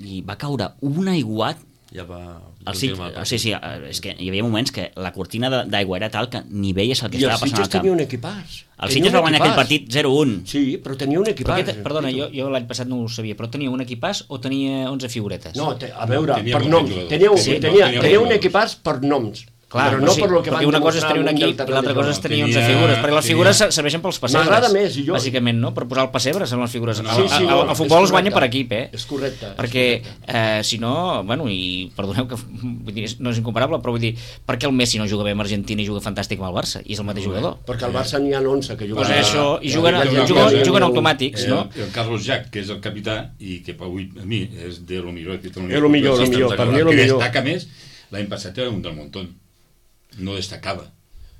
I va caure un aiguat. Ja va... El sit, sí, sí, és que hi havia moments que la cortina d'aigua era tal que ni veies el que I estava passant al camp. I els Sitges tenia un equipàs. El Sitges va guanyar aquell partit zero un. Sí, però tenia un equipàs. Te, perdona, jo, jo l'any passat no ho sabia, però tenia un equipàs o tenia onze figuretes? No, te, a veure, Tenia per molt noms. jugador. Tenia, Sí, tenia, no, tenia, tenia un molt equipàs per noms. Clar, però no, no sí, per lo que van perquè una cosa és tenir un demostrar equip al i l'altra cosa és tenir onze Tenia- figures, perquè les tenia- figures serveixen pels pessebres. M'agrada més, i jo- Bàsicament, no? Per posar el pessebre són les figures. No, El, sí, sí, el, no, el, el és futbol es guanya correcte. per equip, eh? És correcte. Perquè, eh, si no, bueno, i perdoneu que vull dir, no és incomparable, però vull dir, per què el Messi no juga bé amb Argentina i juga fantàstic amb el Barça? I és el mateix jugador. Perquè al Barça n'hi ha onze que juguen. Pues això, i Ah, juguen, ah, juguen, ah, juguen, juguen ah, automàtics, el, no? El Carlos Jack, que és el capità, i que avui a mi és de lo millor. És És lo millor, lo millor, per mi és lo que millor. destaca més, l'any passat era un del Montón. No destacava.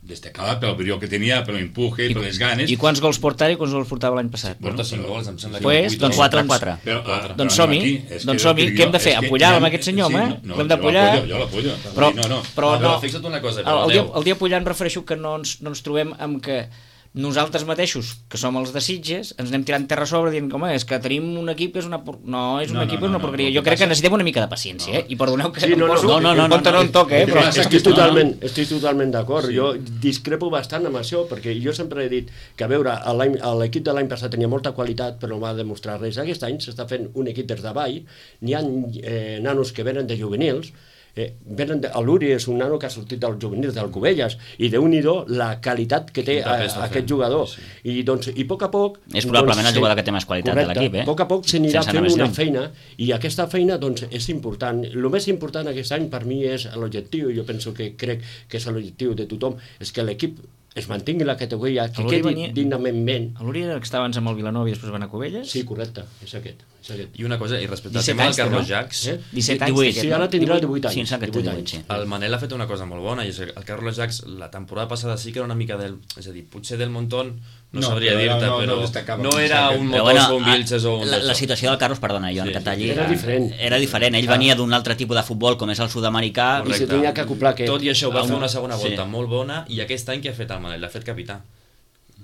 Destacava pel brillo que tenia, pel empuje, per les ganes. I quants gols portava i quants gols portava l'any passat? Porta cinc gols, em sembla que... Pues, vuit o doncs nou. quatre, quatre. Però, ah, Doncs però som-hi, aquí, és doncs que som-hi. jo- Què hem de fer? és que Apollar ja- amb aquest senyor, sí, home? no, no, L'hem jo d'apollar? l'apollo, Jo l'apoyo. Però, No, no. però No, no, però fixa't una cosa, el, però el, dia, Déu. el dia apollar em refereixo que no ens, no ens trobem amb que nosaltres mateixos, que som els de Sitges, ens anem tirant terra a sobre dient que, home, és que tenim un equip que és una... por- No, és un No, no, equip, no, és una no, porqueria. el Jo que crec que passa- necessitem una mica de paciència, eh? I perdoneu que Sí, no, no, em poso no, no, no, en compte no, no, en toc, eh? el que Però... passa- Estic No, no. totalment, estic totalment d'acord. Sí. Jo discrepo bastant amb això, perquè jo sempre he dit que, a veure, l'any- l'equip de l'any passat tenia molta qualitat, però no va demostrar res. Aquest any s'està fent un equip des d'avall, n'hi ha eh, nanos que venen de juvenils, eh, venen de, l'Uri és un nano que ha sortit dels juvenils del Cubelles, i déu-n'hi-do la qualitat que té Quin paper a, està aquest fent. jugador. Sí. I, doncs, i a poc a poc... És probablement doncs, el jugador que té més qualitat de l'equip, eh? A poc a poc s'anirà Sense anar fent més una lluny. feina, i aquesta feina doncs, és important. El més important aquest any per mi és l'objectiu, jo penso que crec que és l'objectiu de tothom, és que l'equip es mantingui la categoria, que L'Uri quedi venia- dignament ben. L'Uri era el que estava abans amb el Vilanova i després van a Cubelles? Sí, correcte, és aquest. És aquest. I una cosa, i respecte al disset tema del anys, Carlos no? Jacks, Eh? disset anys. divuit. té Sí, aquest, ara no? tindrà divuit anys. Sí, em sembla que té divuit divuit, sí. el Manel ha fet una cosa molt bona, i és que el Carlos Jacks la temporada passada sí que era una mica del... És a dir, potser del Montón no, No, sabria però dir-te, no- no però destacava no com era destaca. un Però Motos o bueno, un Vilches o un... la, la d'això. situació del Carlos, perdona, Joan, Sí, que sí, talli, era diferent. Era diferent, ell Clar. venia d'un altre tipus de futbol com és el sud-americà. I se tenia que acoplar aquest. Tot i això, va Ah, fer no. una segona Sí. volta molt bona, i aquest any què ha fet el Manel? L'ha fet capità.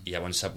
I llavors s'ha-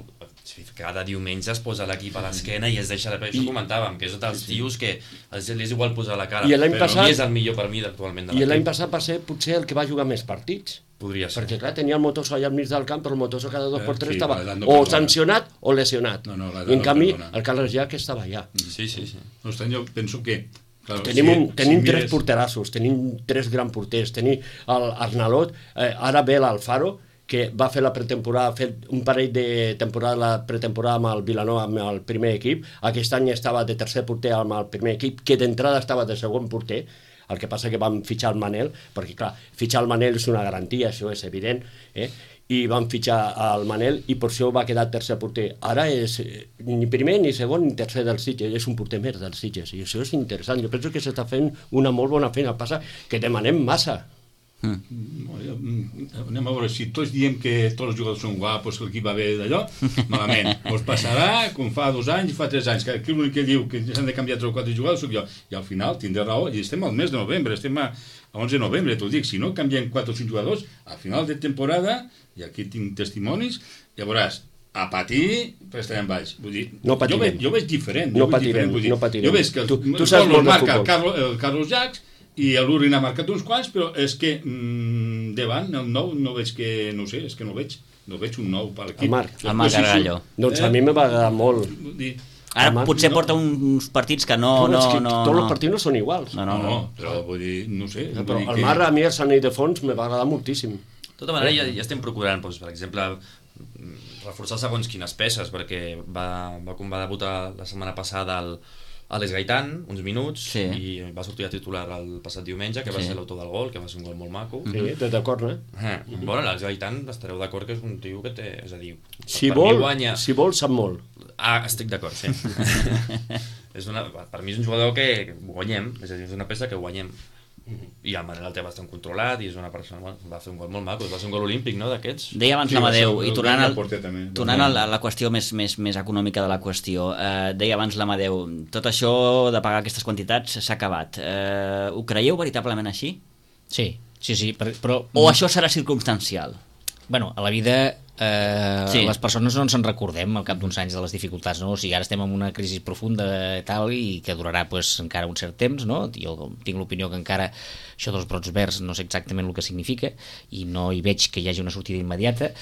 cada diumenge es posa l'equip a l'esquena i es deixa la... Això I- comentàvem, que és dels tios que els li és igual posar la cara. I l'any però passat- i és el millor per mi actualment de I l'any l'equip. passat va ser potser el que va jugar més partits. Podria ser. Perquè, clar, tenia el Motoso allà al mig del camp, però el Motoso cada dos Eh, per tres sí, estava l'edat no o perdona. sancionat o lesionat. No, no, l'edat I en no canvi, perdona. el Carles Jack estava allà. Sí, sí, sí. No obstant, jo penso que... Claro, Tenim, un, si- tenim si tres mires- porterassos, tenim tres grans porters, tenim l'Arnalot, eh, ara ve l'Alfaro, que va fer la pretemporada, ha fet un parell de temporada la pretemporada amb el Vilanova, amb el primer equip. Aquest any estava de tercer porter amb el primer equip, que d'entrada estava de segon porter. El que passa que vam fitxar el Manel, perquè clar, fitxar el Manel és una garantia, això és evident, eh? I van fitxar el Manel i per això va quedar tercer porter. Ara és eh, ni primer, ni segon, ni tercer del Sitges, és un porter més del Sitges, i això és interessant. Jo penso que s'està fent una molt bona feina. Passa que demanem massa. Mm. Anem a veure, si tots diem que tots els jugadors són guapos, que l'equip va bé d'allò, malament. Us passarà com fa dos anys i fa tres anys, que aquí l'únic que diu que s'han de canviar tres o quatre jugadors soc jo. I al final tindré raó, i estem al mes de novembre, estem a onze de novembre, t'ho dic, si no canviem quatre o cinc jugadors, al final de temporada, i aquí tinc testimonis, ja veuràs, a patir, però estarem baix. Vull dir, no jo, veig, jo veig diferent. No jo patirem, diferent, dir, no patirem. Jo veig que el, tu, tu saps molt de marca futbol. El Carlos, el Carlos Jacques, i l'Urin ha marcat uns quants, però és que mmm, davant, el nou, no veig que, no sé, és que no veig, no veig un nou per l'equip. El Marc. El Marc Gargallo. Doncs a mi me va agradar molt. Dir, Ara Marc, potser no. porta uns partits que no... no, no, que no, tots no. els partits no són iguals. No, no, no, no. no, però vull dir, no sé. Però Vull dir el que... Marc, a mi, el Sanei de Fons, me va agradar moltíssim. De tota manera, ja, ja estem procurant, doncs, per exemple, reforçar segons quines peces, perquè va, va, com va debutar la setmana passada el, Àlex Gaitán, uns minuts, sí. i va sortir a titular el passat diumenge, que va sí. ser l'autor del gol, que va ser un gol molt maco. Sí, mm-hmm. d'acord, eh? eh bueno, l'Àlex Gaitán, estareu d'acord que és un tio que té... És a dir, si per vol, mi guanya... si vol, sap molt. Ah, estic d'acord, sí. és una, per mi és un jugador que guanyem, és a dir, és una peça que guanyem. I el Manel el té bastant controlat i és una persona, bueno, va fer un gol molt maco, va ser un gol olímpic, no?, d'aquests. Deia abans Sí, l'Amadeu, va ser- i tornant, al, porter també. tornant a la, a la qüestió més, més, més econòmica de la qüestió, eh, deia abans l'Amadeu, tot això de pagar aquestes quantitats s'ha acabat. Eh, ho creieu veritablement així? Sí, sí, sí, però... però O això serà circumstancial? Bueno, a la vida eh, Sí. les persones no ens en recordem al cap d'uns anys de les dificultats, no? O sigui, ara estem en una crisi profunda i tal, i que durarà pues, encara un cert temps, no? Jo tinc l'opinió que encara això dels brots verds no sé exactament el que significa i no hi veig que hi hagi una sortida immediata,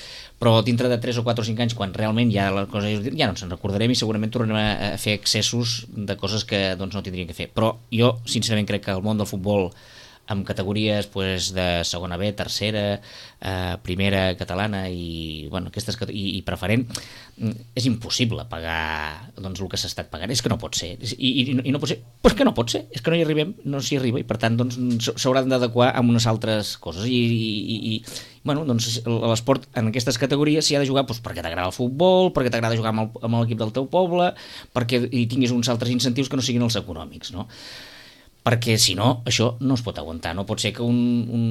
però dintre de tres o quatre o cinc anys, quan realment ja la cosa ja no ens en recordarem i segurament tornarem a fer excessos de coses que doncs, no tindrien que fer. Però jo, sincerament, crec que el món del futbol amb categories pues, de segona B, tercera, eh, primera catalana i, bueno, aquestes, i, i preferent, és impossible pagar doncs, el que s'ha estat pagant. És que no pot ser. I, i, i no pot ser. Però és que no pot ser. És que no hi arribem, no s'hi arriba i per tant doncs, s'hauran d'adequar amb unes altres coses. I, i, i bueno, doncs, l'esport en aquestes categories s'hi ha de jugar doncs, perquè t'agrada el futbol, perquè t'agrada jugar amb el- amb l'equip del teu poble, perquè hi tinguis uns altres incentius que no siguin els econòmics, no? Perquè si no, això no es pot aguantar. No pot ser que un, un,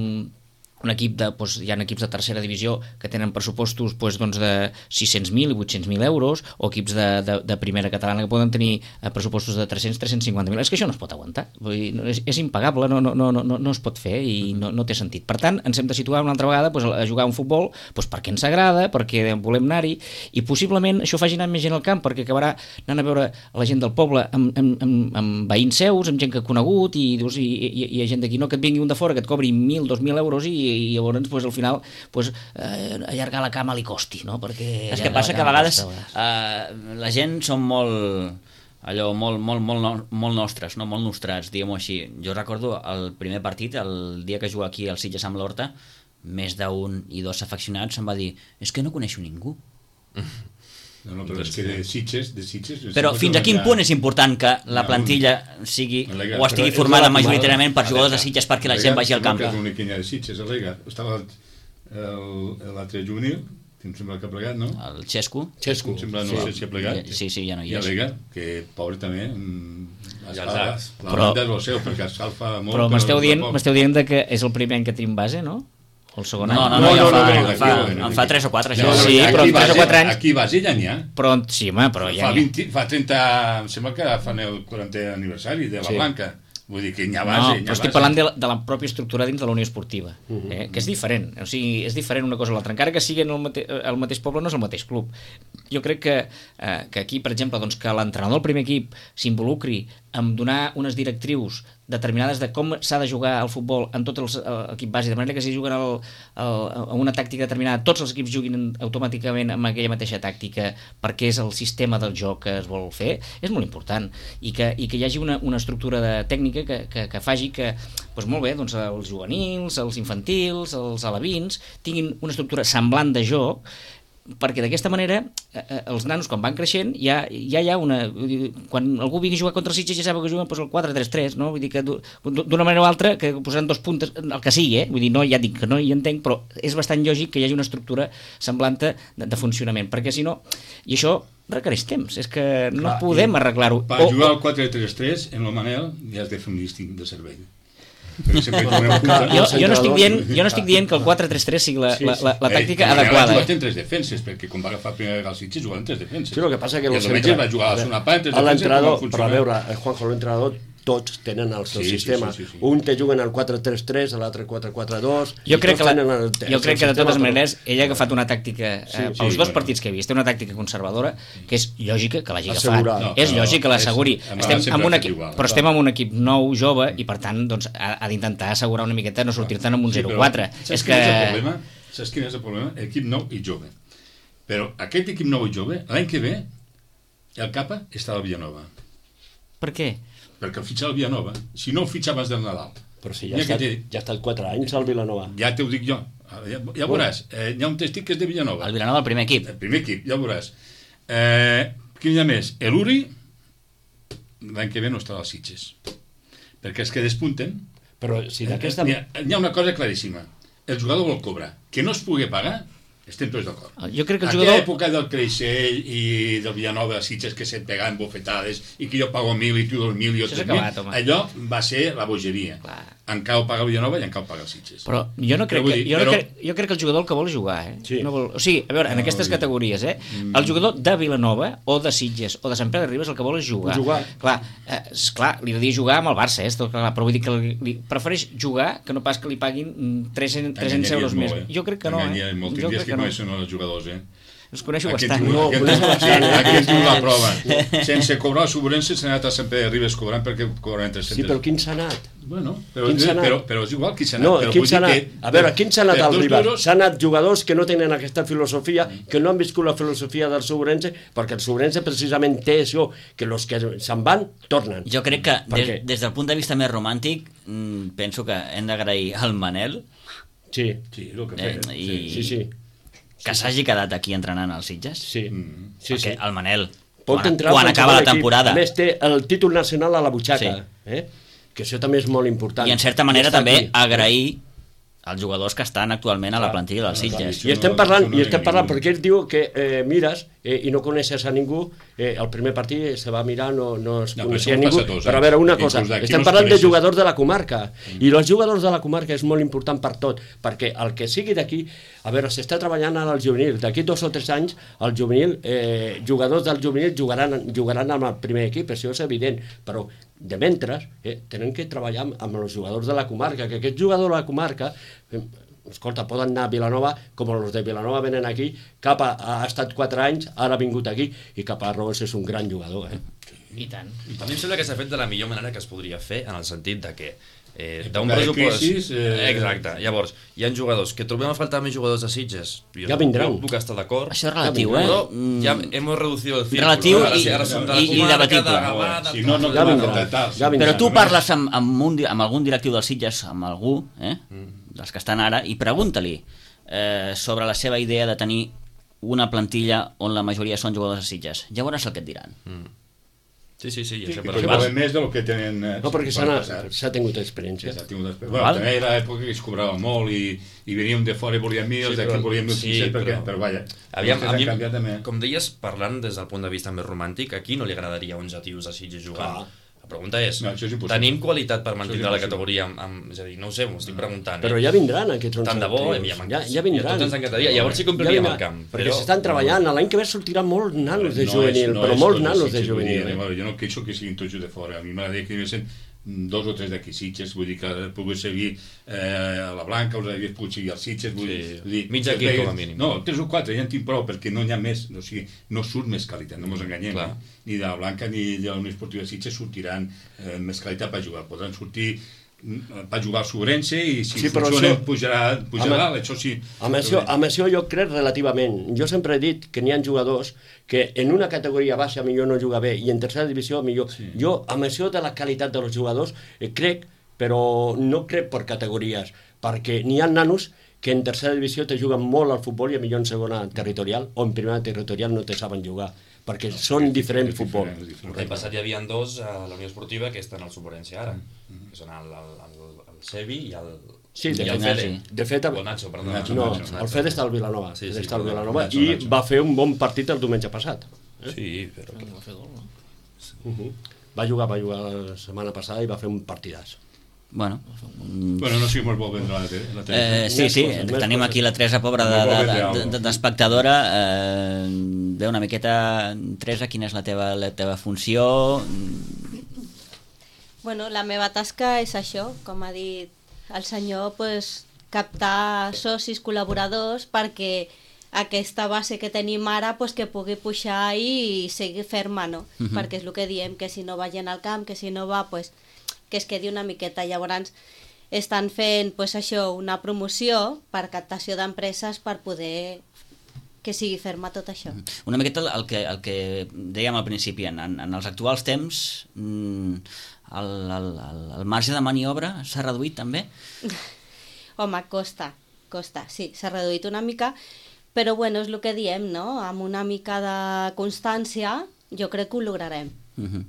un equip de, doncs, hi ha equips de tercera divisió que tenen pressupostos doncs, doncs de sis-cents mil i vuit-cents mil euros, o equips de, de, de primera catalana que poden tenir eh, pressupostos de tres-cents a tres-cents cinquanta mil. És que això no es pot aguantar. Vull dir, no, és, és impagable, no, no, no, no, no es pot fer i no, no té sentit. Per tant, ens hem de situar una altra vegada doncs, a jugar a un futbol doncs, perquè ens agrada, perquè volem anar-hi, i possiblement això faci anar més gent al camp, perquè acabarà anant a veure la gent del poble amb, amb, amb, amb veïns seus, amb gent que ha conegut, i, dius, i, i, i hi ha gent d'aquí, no, que et vingui un de fora que et cobri mil, dos mil euros i, i llavors pues, al final pues, eh, allargar la cama li costi, no? Perquè És que passa que a vegades eh, la gent són molt allò, molt, molt, molt, no- molt nostres, no? Molt nostrats, diguem-ho així. Jo recordo el primer partit, el dia que jugué aquí al Sitges amb l'Horta, més d'un i dos afeccionats em va dir, és que no coneixo ningú. No, no, però és que de Sitges, de Sitges... Però fins a quin punt és important que la plantilla sigui o estigui formada majoritàriament per jugadors de Sitges perquè la gent vagi al camp? És l'únic que hi ha de Sitges, el Lega. Estava el- l'altre juvenil, que em sembla que ha plegat, no? El Xesco? Xesco. Em sembla, no sé si ha plegat. Sí, sí, ja no hi I el és. Lega, que pobre també, mm, I el escalfa, Zac. la Però- banda és el seu, perquè escalfa molt. Però m'esteu dient, tampoc. m'esteu dient de que és el primer any que tenim base, no? O el segon No, any? no, no, ja no, fa, no, en aquí fa, no, en fa tres o quatre, No, això. no, Sí, aquí però en base- tres o quatre anys- Aquí base ja n'hi ha. Però, sí, home, però ja Fa, n'hi ha. vint, fa trenta... Em sembla que fan el quarantè aniversari de la Sí. Blanca. Vull dir que n'hi ha No, base. n'hi ha però estic base. parlant de la, de la pròpia estructura dins de la Unió Esportiva, eh? Que és diferent, o sigui, és diferent una cosa o l'altra, encara que siguin el, mate el mateix poble, no és el mateix club. Jo crec que, eh, que aquí, per exemple, doncs, que l'entrenador del primer equip s'involucri en donar unes directrius determinades de com s'ha de jugar al futbol en tot l'equip base, de manera que si juguen el, el, a una tàctica determinada, tots els equips juguin automàticament amb aquella mateixa tàctica perquè és el sistema del joc que es vol fer, és molt important, i que, i que hi hagi una, una estructura de tècnica que, que, que faci que, doncs molt bé, doncs els juvenils, els infantils, els alevins tinguin una estructura semblant de joc, perquè d'aquesta manera eh, eh, els nanos quan van creixent ja, ja hi ha una... Quan algú vingui a jugar contra els Sitges ja sap que juguen doncs, el quatre tres tres, no? Vull dir que d'u- d'una manera o altra que posaran dos puntes, el que sigui, eh? Vull dir, no, ja dic que no hi entenc, però és bastant lògic que hi hagi una estructura semblant de, de funcionament, perquè si no... I això requereix temps, és que no Clar, podem i arreglar-ho. Per O- jugar al quatre tres tres, en el Manel, ja has de fer un lísting de servei. Jo, jo, no estic dient, jo no estic dient que el quatre tres tres sigui la, la, la, la tàctica eh, adequada. Va jugar en tres defenses, perquè quan va agafar primer vegada el Sitges jugava en tres defenses. Sí, el que passa que el Sitges va jugar a la segona part en tres defenses. L'entrenador, però a veure, Juanjo, l'entrenador, tots tenen el seu sí, sistema. Sí, sí, sí, sí. Un te juguen al quatre tres tres, l'altre quatre quatre dos... Jo crec que, la, el, jo crec que de totes maneres ell ha agafat una tàctica, eh, sí, pels sí, dos bueno. partits que he vist, té una tàctica conservadora que és lògica que l'hagi agafat. No, és lògic que l'asseguri. Estem amb un equip, igual, però estem amb un equip nou, jove, i per tant doncs, ha, ha d'intentar assegurar una miqueta no sortir-te'n amb un sí, zero quatre. És que... Saps quin és el problema? Equip nou i jove. Però aquest equip nou i jove, l'any que ve, el capa està al Villanova. Per què? Perquè el fitxar al Villanova, si no el fitxa abans del Nadal. Però si ja, està, ja ha estat quatre anys al Vilanova. Ja t'ho dic jo. Ja, ja veuràs. Eh, hi ha un testic que és de Villanova. El Vilanova, el primer equip. El primer equip, ja veuràs. Eh, quin hi ha més? L'Uri, l'any que ve no estarà als Sitges. Perquè els que despunten... Però si d'aquesta... Hi, hi ha una cosa claríssima. El jugador vol cobrar. Que no es pugui pagar, estem tots d'acord. Jo crec que el Aquella jugador... època del Creixell i del Villanova, Sitges, que se't pegaven bofetades i que jo pago mil i tu dos mil i jo tres mil, allò va ser la bogeria. Clar. En cau paga el Villanova i en cau paga el Sitges. Però jo no crec, dir, que, jo, però... no crec, jo crec que el jugador el que vol és jugar, eh? Sí. No vol, o sigui, a veure, en no, aquestes no, categories, eh? El jugador de Vilanova o de Sitges o de Sant Pere de Ribes el que vol és jugar. Jugar. Clar, eh, esclar, li he de dir jugar amb el Barça, eh? Clar, però vull dir que li, li prefereix jugar que no pas que li paguin tres-cents euros més. Eh? Jo crec que no, eh? Molt, jo crec que, que no. són els jugadors, eh? Els coneixo Aquest bastant. No, coneixo bastant. Aquí ens diu la prova. Sense cobrar la subvenció s'ha anat a Sant Pere de Ribes cobrant perquè cobraven tres-cents. Sí, però quin s'ha anat? Bueno, però, Quin s'ha anat? però, però és igual qui s'ha anat. No, però quin vull s'ha dir anat? que- A veure, quin s'ha anat per al dos Ribes? duros- S'han anat jugadors que no tenen aquesta filosofia, que no han viscut la filosofia del Sobrense, perquè el Sobrense precisament té això, que els que se'n van, tornen. Jo crec que Per des, què? des del punt de vista més romàntic mm, penso que hem d'agrair al Manel Sí, Sí, el que eh, feia. i sí, sí. que s'hagi quedat aquí entrenant als Sitges. Sí, Mm. sí, sí. Perquè el Manel, Pot quan, entrar quan a acaba la qualsevol equip. temporada, A més, té el títol nacional a la butxaca, Sí. eh? Que això també és molt important. i en certa manera I està també aquí. agrair als jugadors que estan actualment a la plantilla dels Sitges. I estem parlant, Això no i estem hi ha parlant ningú. perquè ell diu que eh, mires eh, i no coneixes a ningú, eh, el primer partit se va mirar, no, no es No, però coneixia això ningú, passa a tots, eh? però a veure una Aquí cosa, inclús d'aquí estem no es parlant de coneixes. jugadors de la comarca, mm. i els jugadors de la comarca és molt important per tot, perquè el que sigui d'aquí, a veure, s'està treballant ara al juvenil, d'aquí dos o tres anys, el juvenil, eh, jugadors del juvenil jugaran, jugaran amb el primer equip, això és evident, però de mentre, eh, tenen que treballar amb, amb els jugadors de la comarca, que aquest jugador de la comarca, eh, escolta, poden anar a Vilanova, com els de Vilanova venen aquí, cap ha, ha estat quatre anys, ara ha vingut aquí, i cap a Robes és un gran jugador, eh? I tant. A mi em sembla que s'ha fet de la millor manera que es podria fer, en el sentit de que eh, En d'un època de pressupost... crisis, eh, Exacte. Llavors, hi ha jugadors que trobem a faltar més jugadors de Sitges. Jo, Ja vindran. Jo puc estar d'acord. Això és relatiu, eh? Però Mm, ja hem reducido el círculo. Relatiu Ara i- sí, ara som de la i- i comarca, debatible. de Gavà, Si no, no Ja poden vindrà, contractar. ja vindrà. Però tu Només- parles amb, amb, un, di- amb algun directiu dels Sitges, amb algú, eh? dels que estan ara, i pregunta-li eh, sobre la seva idea de tenir una plantilla on la majoria són jugadors de Sitges. Ja veuràs el que et diran. Sí, sí, sí. Sí, Ja sé, que però cobraven més del que tenen... eh, No, perquè s'ha per anat- passar. s'ha tingut experiència. Ja s'ha tingut experiència. Bueno, Val. també era l'època que es cobrava molt i, i veníem de fora i volíem mil, Sí, sí, d'aquí però- volíem mil sí, cinc-cents, perquè, però- però vaja, Aviam, vostès a han mi, canviat també. com deies, parlant des del punt de vista més romàntic, a qui no li agradaria onze tios a Sitges jugant? Clar. La pregunta és, No, això és impossible. tenim qualitat per mantindre la impossible. categoria amb, amb... És a dir, no ho sé, m'ho estic preguntant. Però eh? ja vindran aquests onze Tant de bo, trios. ja, ja, ja vindran. I a tots ens encantaria. Llavors sí que ompliríem el camp. Perquè s'estan treballant, l'any que ve sortiran molts nanos de juvenil, però és molts tot nanos de Sitges, vull dir, juvenil. eh? bueno, jo no queixo que siguin tots de fora, a mi m'agradaria que hi haguessin dos o tres d'aquí Sitges, vull dir que pogués seguir eh, a la Blanca, us hagués pogut seguir als Sitges, vull Sí, dir, vull dir... mig que equip, vegues- com a mínim. No, tres o quatre, ja en tinc prou, perquè no n'hi ha més, o sigui, no surt més qualitat, no ens enganyem, Clar. eh? Ni de la Blanca ni de la Unió Esportiva de Sitges sortiran eh, més qualitat per jugar, podran sortir mm, per jugar al Sobrense i si Sí, però funciona això- pujarà, pujarà Amb- això sí. Amb això, amb això jo crec relativament. Jo sempre he dit que n'hi ha jugadors que en una categoria baixa millor no juga bé i en tercera divisió millor. Sí. Jo amb això de la qualitat dels jugadors eh, crec, però no crec per categories, perquè n'hi ha nanos que en tercera divisió te juguen molt al futbol i a millor en segona territorial o en primera territorial no te saben jugar, perquè no, són diferents futbol. L'any passat hi havia dos a la Unió Esportiva que estan al Suborència ara, que són el, el, el, el Sevi i el, Sí, de i el fet, Fede. de fet, O Nacho, perdó. Nacho, no, Nacho, el Fede està al Vilanova, Sí, sí, sí, està al perdó, Vilanova Nacho, i Nacho. va fer un bon partit el diumenge passat. Sí, però... Uh -huh. Va jugar, va jugar la setmana passada i va fer un partidàs. Bueno, bueno, no sé si mos vol vendre la tele. La tele. Eh, sí, sí, coses, més tenim coses. aquí la Teresa, pobra No vol vendre d'espectadora, de, alguna de, d'espectadora. eh, Bé, una miqueta, Teresa, quina és la teva, la teva funció? Bueno, la meva tasca és això, com ha dit el senyor, pues, captar socis, col·laboradors, perquè aquesta base que tenim ara pues, que pugui pujar i seguir ferma, no? Uh -huh. Perquè és el que diem, que si no va gent al camp, que si no va, pues, que es quedi una miqueta. Llavors estan fent pues, això, una promoció per captació d'empreses per poder que sigui ferma tot això. Una miqueta el que, el que dèiem al principi, en, en els actuals temps el, el, el, el marge de maniobra s'ha reduït també? Home, costa, costa, sí, s'ha reduït una mica, però bueno, és el que diem, no? Amb una mica de constància jo crec que ho lograrem. Uh -huh.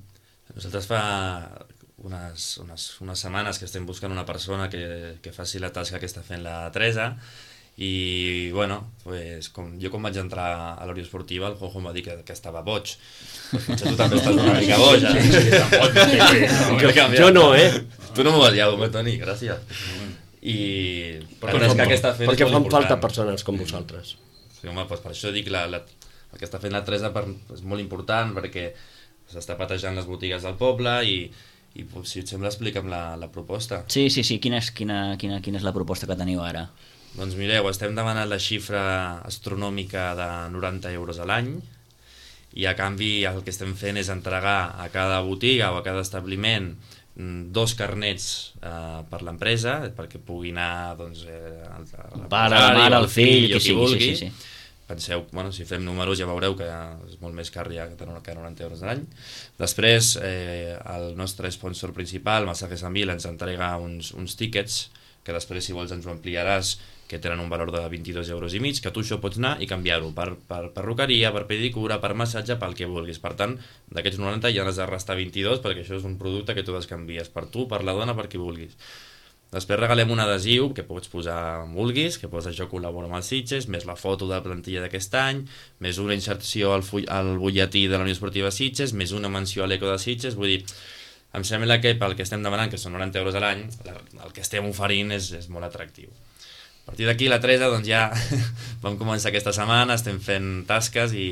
Nosaltres fa unes, unes, unes setmanes que estem buscant una persona que, que faci la tasca que està fent la Teresa i, bueno, pues, com, jo quan vaig entrar a l'Orió Esportiva el Jojo em va dir que, que estava boig. Pues, potser tu també estàs una mica boja. Jo no, eh? Tu no m'ho vas dir, home, Toni, gràcies. I la tasca que està fent perquè és fan molt falta important. persones com vosaltres. Sí, home, doncs per això dic la, la, el que està fent la Teresa per, és molt important perquè s'està patejant les botigues del poble i, i si et sembla explica'm la, la proposta. Sí, sí, sí, quina és, quina, quina, quina és la proposta que teniu ara? Doncs mireu, estem demanant la xifra astronòmica de noranta euros a l'any i a canvi el que estem fent és entregar a cada botiga o a cada establiment dos carnets eh, per l'empresa perquè pugui anar doncs, eh, al, el pare, la mare, el fill, qui sigui, sí, sí, sí. Penseu, bueno, si fem números ja veureu que és molt més car ja que noranta euros a l'any. Després eh, el nostre sponsor principal, Masajes Amil, ens entrega uns, uns tíquets que després si vols ens ho ampliaràs, que tenen un valor de vint-i-dos euros i mig, que tu això pots anar i canviar-ho per, per perruqueria, per pedicura, per massatge, pel que vulguis. Per tant, d'aquests noranta ja n'has de restar vint-i-dos perquè això és un producte que tu descanvies per tu, per la dona, per qui vulguis. Després regalem un adhesiu que pots posar on vulguis, que posa això col·labora amb els Sitges, més la foto de la plantilla d'aquest any, més una inserció al, full, al butlletí de la Unió Esportiva Sitges, més una menció a l'Eco de Sitges. Vull dir, em sembla que pel que estem demanant, que són noranta euros a l'any, el que estem oferint és, és molt atractiu. A partir d'aquí la Teresa doncs ja vam començar aquesta setmana, estem fent tasques i,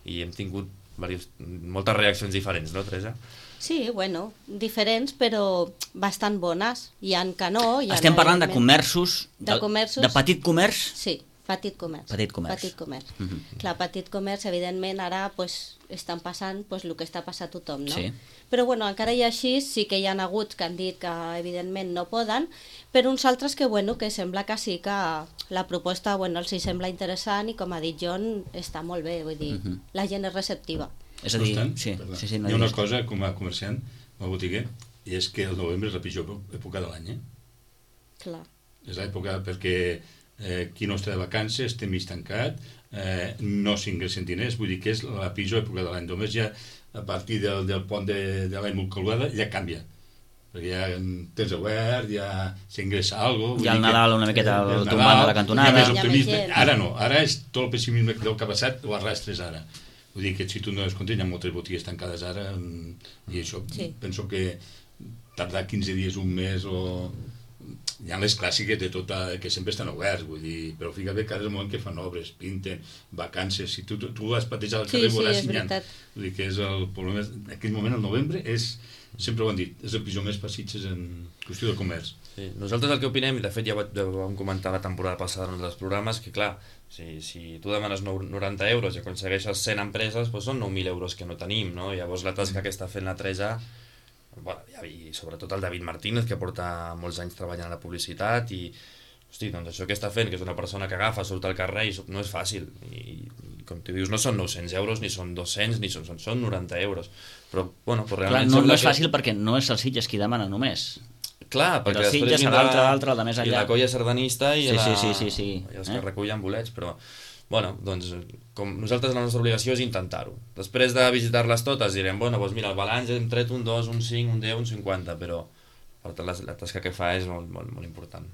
i hem tingut diversos, moltes reaccions diferents, no Teresa? Sí, bueno, diferents però bastant bones. Hi ha que no... Hi ha Estem parlant de evidentment. comerços, De comerços. de petit comerç? Sí, petit comerç. Petit comerç. Petit comerç. Uh -huh. Clar, petit comerç, evidentment, ara pues, estan passant pues, el que està passant a tothom, no? Sí. Però bueno, encara i així sí que hi ha hagut que han dit que evidentment no poden, però uns altres que, bueno, que sembla que sí que la proposta bueno, els hi sembla interessant i com ha dit John, està molt bé, vull dir, uh -huh. la gent és receptiva. És a dir, no sí, sí, sí, no hi ha una digues. cosa com a comerciant, com a botiguer, i és que el novembre és la pitjor època de l'any, eh? Clar. És l'època perquè eh, qui no està de vacances té mig tancat, eh, no s'ingressen diners, vull dir que és la pitjor època de l'any. Només ja a partir del, del pont de, de l'any Molcaludada ja canvia, perquè ja tens obert, ja s'ingressa alguna cosa. Ja el Nadal una miqueta eh, el tombant a la cantonada. Ja més gent. Ara no, ara és tot el pessimisme del que ha passat, ho arrastres ara. Vull dir que si tu no és content, hi ha moltes botigues tancades ara, i això, sí. Penso que tardar quinze dies, un mes, o... Hi ha les clàssiques de tota, que sempre estan oberts, vull dir, però fíjate que ara és el moment que fan obres, pinten, vacances, si tu, tu, tu has patejat al carrer, sí, veuràs sí, si n'hi ha. Vull dir que és el problema, en aquell moment, el novembre, és, sempre ho han dit, és el pitjor mes per Sitges en qüestió de comerç. Sí, nosaltres el que opinem, i de fet ja ho vam comentar la temporada passada en els programes, que clar, si, si tu demanes noranta euros i aconsegueixes cent empreses, doncs són nou mil euros que no tenim, no? Llavors la tasca que està fent la Teresa, bueno, i sobretot el David Martínez, que porta molts anys treballant a la publicitat, i hosti, doncs això que està fent, que és una persona que agafa, surt al carrer, i no és fàcil, i, i com tu dius, no són nou-cents euros, ni són dos-cents, ni són, són noranta euros, però bueno, però realment... Clar, no, no és fàcil que... perquè no és el Sitges qui demana només. Clar, perquè però després vindrà l'altre, l'altre, de més enllà. I la colla sardanista i, sí, la... sí, sí, sí, sí. i els eh? que recullen bolets, però bueno, doncs com nosaltres la nostra obligació és intentar-ho. Després de visitar-les totes direm, bueno, doncs mira, el balanç hem tret un dos, un cinc, un deu, un cinquanta, però per tant la, la tasca que fa és molt, molt, molt important.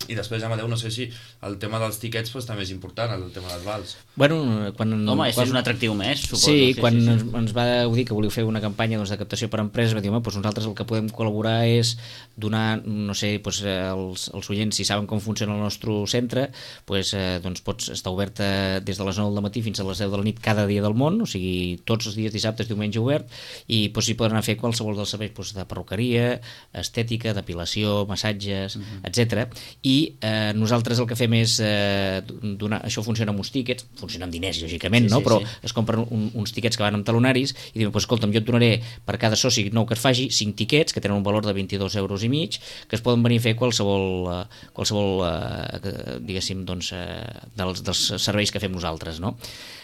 I després, Amadeu, no sé si el tema dels tiquets pues, també és important, el tema dels vals. Bueno, quan... Home, és, quan... és un atractiu més, suposo. Sí, sí quan sí, sí. Ens, ens va dir que volíeu fer una campanya doncs, de captació per empreses, va dir, home, doncs nosaltres el que podem col·laborar és donar, no sé, doncs, els, els oients, si saben com funciona el nostre centre, doncs, eh, doncs pots estar obert des de les nou del matí fins a les deu de la nit cada dia del món, o sigui, tots els dies, dissabtes, diumenge obert, i doncs, s'hi poden anar a fer qualsevol dels serveis doncs, de perruqueria, estètica, depilació, massatges, uh-huh. etcètera. I eh, nosaltres el que fem és eh, donar, això funciona amb uns tíquets, funciona amb diners, lògicament, sí, no? Sí, però sí. Es compren un, uns tiquets que van amb talonaris i diuen, pues, escolta'm, jo et donaré per cada soci nou que et faci cinc tiquets que tenen un valor de vint-i-dos euros i mig, que es poden venir a fer qualsevol, uh, qualsevol uh, diguéssim, doncs, uh, dels, dels serveis que fem nosaltres, no?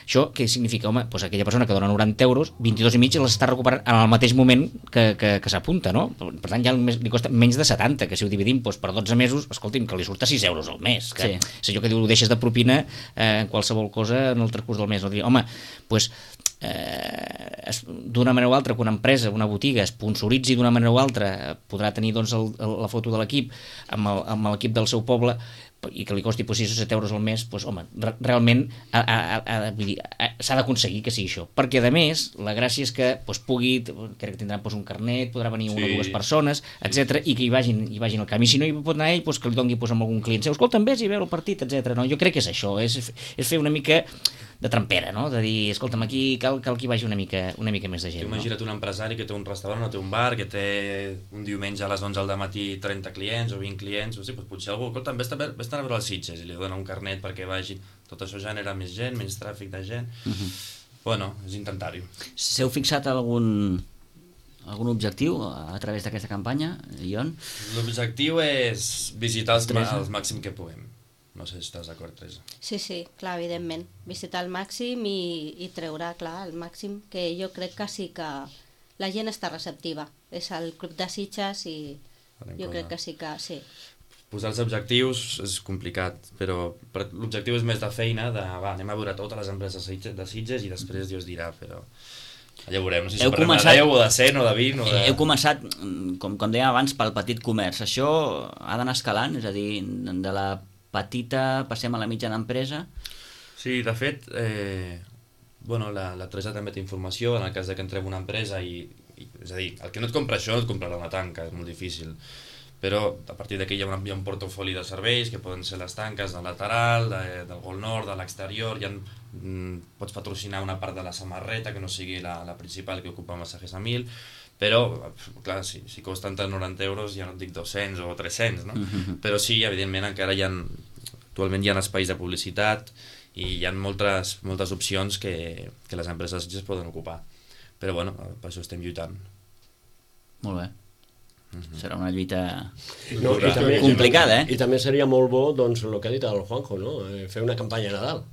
Això què significa? Home, doncs aquella persona que dona noranta euros, vint-i-dos i mig les està recuperant en el mateix moment que, que, que s'apunta, no? Per tant, ja li costa menys de setanta, que si ho dividim doncs, per dotze mesos, escolti'm, que li surt a sis euros al mes. Que, sí. És allò que diu, ho deixes de propina eh, en qualsevol cosa en el transcurs del mes. No? Home, doncs, eh, d'una manera o altra, que una empresa, una botiga, sponsoritzi d'una manera o altra, podrà tenir doncs, el, el, la foto de l'equip amb, el, amb l'equip del seu poble, i que li costi pues, sis o set euros al mes, pues, home, re realment s'ha d'aconseguir que sigui això. Perquè, a més, la gràcia és que pues, pugui, crec que tindrà pues, un carnet, podrà venir sí. una o dues persones, etcètera, i que hi vagin, hi vagin al camp. I si no hi pot anar ell, pues, que li doni pues, amb algun client seu, escolta'm, vés i veu el partit, etcètera. No? Jo crec que és això, és, és fer una mica de trampera, no? De dir, escolta'm, aquí cal, cal que hi vagi una mica, una mica més de gent. Imagina't no? un empresari que té un restaurant o té un bar, que té un diumenge a les onze del matí trenta clients o vint clients, o sigui, doncs potser algú, escolta'm, vés a veure els Sitges i li dona un carnet perquè vagi. Tot això genera més gent, menys tràfic de gent. Uh-huh. Bueno, és intentar-ho. S'heu fixat algun, algun objectiu a través d'aquesta campanya, Ion? L'objectiu és visitar els, els màxim que puguem. No sé si estàs d'acord, Teresa. Sí, sí, clar, evidentment. Visitar el màxim i, i treure, clar, el màxim, que jo crec que sí que la gent està receptiva. És el Club de Sitges i jo crec que sí que sí. Posar els objectius és complicat, però l'objectiu és més de feina, de va, anem a veure totes les empreses de Sitges i després Dios dirà, però ja veurem, no sé si heu parlem començat... de deu o de cent o de vint o de... Heu començat, com, com dèiem abans, pel petit comerç. Això ha d'anar escalant, és a dir, de la petita passem a la mitjana empresa? Sí, de fet, eh, bueno, la, la Teresa també té informació en el cas de que entrem una empresa i, i és a dir, el que no et compra això no et comprarà una tanca, és molt difícil. Però a partir d'aquí hi ha, un, hi ha un portafoli de serveis que poden ser les tanques del lateral, de, del gol nord, de l'exterior, hi ha, mm, pots patrocinar una part de la samarreta que no sigui la, la principal que ocupa Masajes a mil, però, clar, si, si costen noranta euros ja no et dic dos-cents o tres-cents, no? Uh-huh. Però sí, evidentment, encara hi ha, actualment hi ha espais de publicitat i hi ha moltes, moltes opcions que, que les empreses es poden ocupar. Però, bueno, per això estem lluitant. Molt bé. Uh-huh. Serà una lluita no, i també, complicada, eh? I també seria molt bo, doncs, el que ha dit el Juanjo, no? Fer una campanya a Nadal.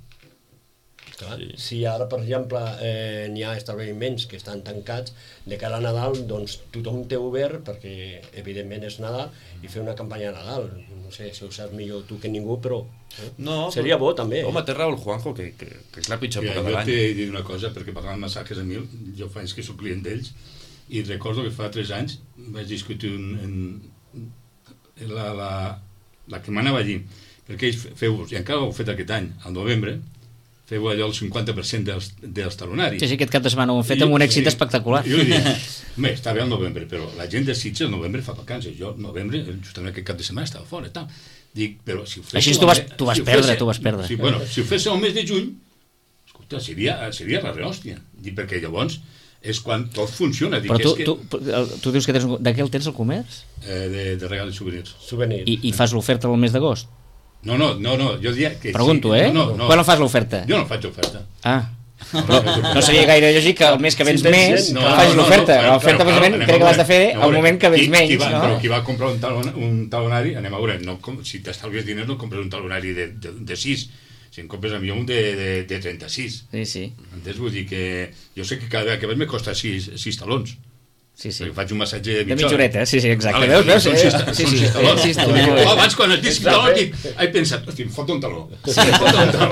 Clar, sí. Si ara, per exemple, eh, n'hi ha establiments que estan tancats, de cara a Nadal, doncs tothom té obert, perquè evidentment és Nadal, i fer una campanya a Nadal. No sé si ho saps millor tu que ningú, però eh? no, seria bo també. Home, té raó el Juanjo, que, que, que és la pitjor època de l'any. Jo t'he dit una cosa, perquè parlant de Masajes a mil, jo fa anys que soc client d'ells, i recordo que fa tres anys vaig discutir un, en la, la, la que m'anava a dir, perquè ells feu, i encara ho heu fet aquest any, al novembre, feu allò el cinquanta per cent dels, dels talonaris. Sí, sí, aquest cap de setmana ho hem fet amb un èxit sí, espectacular. Jo dic, bé, està bé al novembre, però la gent de Sitges al novembre fa vacances. Jo al novembre, justament aquest cap de setmana, estava fora i tal. Dic, però si ho fes... Així tu vas, tu vas si perdre, fes, tu vas perdre. Si, bueno, si ho fes el mes de juny, escolta, seria, seria la rehòstia. Dic, perquè llavors és quan tot funciona. Dic, però tu, és que... tu, tu dius que tens, de què el tens el comerç? Eh, de, de regals i souvenirs. Souvenirs. I, i fas l'oferta al mes d'agost? No, no, no, no, jo diria que Pregunto, sí. eh? No, no, Quan no fas l'oferta? Jo no faig oferta. Ah, però no seria gaire lògic que el mes que vens més no, facis no, l'oferta. no, no, l'oferta, precisament, crec que l'has de fer al moment que vens menys, va, no? Però qui va comprar un, talon, un talonari, anem a veure, no, si t'estalvies diners no compres un talonari de, de, de sis, si en compres a mi un de, de, de trenta-sis. Sí, sí. Entens? Vull dir que jo sé que cada vegada que vaig me costa sis, sis talons. Sí, sí. Faig un massatge de mitja, de mitja horeta, sí, sí, exacte. Vale, veus, veus? veus? Són Sí, sí, sis talons. sí, sí, Oh, abans, quan et dic taló, dic, he pensat, hosti, em fot un taló. Sí.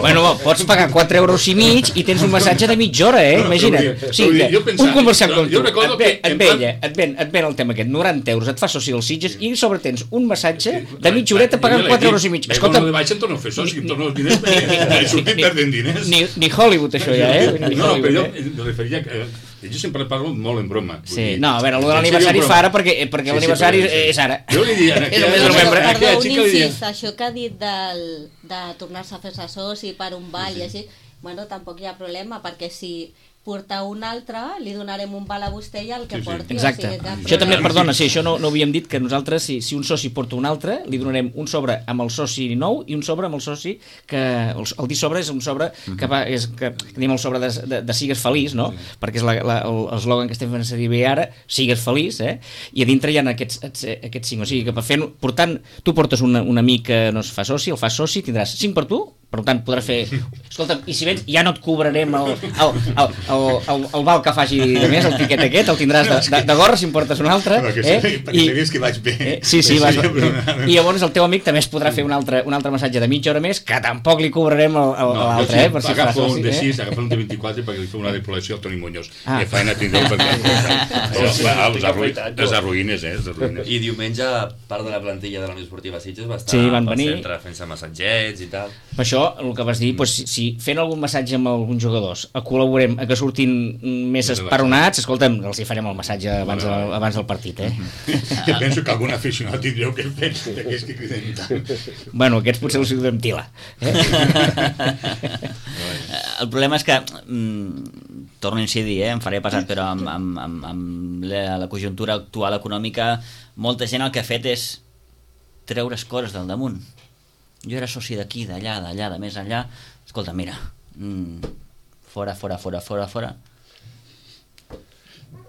Bueno, pots pagar quatre euros i mig i tens un massatge de mitja hora, eh? Imagina't. O sigui, un comerciant com tu, et ve, et ve, et ven, et ven el tema aquest, noranta euros, et fa soci dels Sitges i a sobre tens un massatge de mitja horeta pagant quatre euros i mig. Escolta, de baix em torno a fer soci, em torno els diners, he sortit perdent diners. Ni Hollywood, això ja, eh? No, però jo em referia que jo sempre parlo molt en broma. Sí, no, a veure, l'aniversari fa ara perquè l'aniversari és ara. Jo li diria... És el mes de novembre. Perdó, un incís, això que ha dit de tornar-se a fer-se soci per un ball i així, bueno, tampoc hi ha problema, perquè si porta un altre, li donarem un val a vostè i el que porti. Exacte. Això també, perdona, sí, això no ho havíem dit, que nosaltres, si un soci porta un altre, li donarem un sobre amb el soci nou i un sobre amb el soci que... El dir sobre és un sobre que va... que tenim el sobre de sigues feliç, no? Perquè és l'eslògan que estem fent servir bé ara, sigues feliç, eh? I a dintre hi ha aquests cinc. O sigui, que per fer... Portant, tu portes un amic que no es fa soci, el fas soci, tindràs cinc per tu, per tant podràs fer... Escolta, i si vens ja no et cobrarem el, el, el, el, el, el val que faci de més, el tiquet aquest, el tindràs de, de, de gorra si em portes un altre. Perquè eh? I, sabies que vaig bé. Eh? Sí, sí, vas, i llavors el teu amic també es podrà fer un altre, un altre massatge de mitja hora més, que tampoc li cobrarem l'altre, no, eh? Si agafa un de sis, agafa un de vint-i-quatre perquè li fa una depolació al Toni Muñoz. Ah. Que feina tindreu perquè... Els arruïnes, eh? I diumenge, part de la plantilla de la Unió Esportiva Sitges va estar al centre fent-se massatgets i tal. Per això, el que vas dir, doncs, si, si fent algun massatge amb alguns jugadors col·laborem a que surtin més esperonats, escolta'm, els hi farem el massatge abans, del, abans del partit, eh? Jo penso que algun aficionat tindreu que pensa d'aquests que criden tant. Bueno, aquests potser els donem tila. Eh? El problema és que, mm, torno a incidir, eh, em faré passat, però amb, amb, amb, amb la, la conjuntura actual econòmica, molta gent el que ha fet és treure's coses del damunt. Jo era soci d'aquí, d'allà, d'allà, de més enllà. Escolta, mira, mm, fora, fora, fora, fora, fora.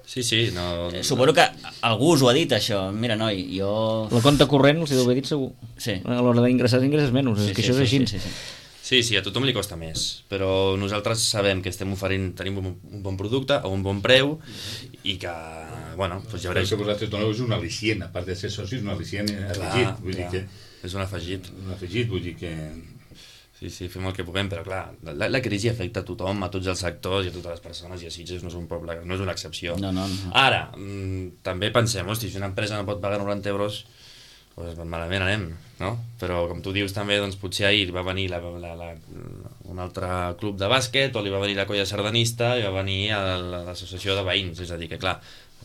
Sí, sí, no... Eh, suposo que algú us ho ha dit, això. Mira, noi, jo... La compte corrent els hi deu haver dit segur. Sí. A l'hora d'ingressar, ingresses menys. Sí, és que sí, això és així. Sí, sí, sí. Sí, sí, a tothom li costa més, però nosaltres sabem que estem oferint, tenim un, un bon producte a un bon preu i que, bueno, doncs ja veurem. El que vosaltres doneu és un al·licient, a part de ser socis, un al·licient afegit. Vull clar, dir que... És un afegit. Un afegit, vull dir que... Sí, sí, fem el que puguem, però clar, la, la crisi afecta a tothom, a tots els sectors i a totes les persones, i a Sitges no és un poble, no és una excepció. No, no, no. Ara, mmm, també pensem, hosti, si una empresa no pot pagar noranta euros, doncs malament anem, no? Però com tu dius també, doncs potser ahir va venir la, la, la, un altre club de bàsquet, o li va venir la colla sardanista, i va venir a l'associació de veïns, és a dir, que clar,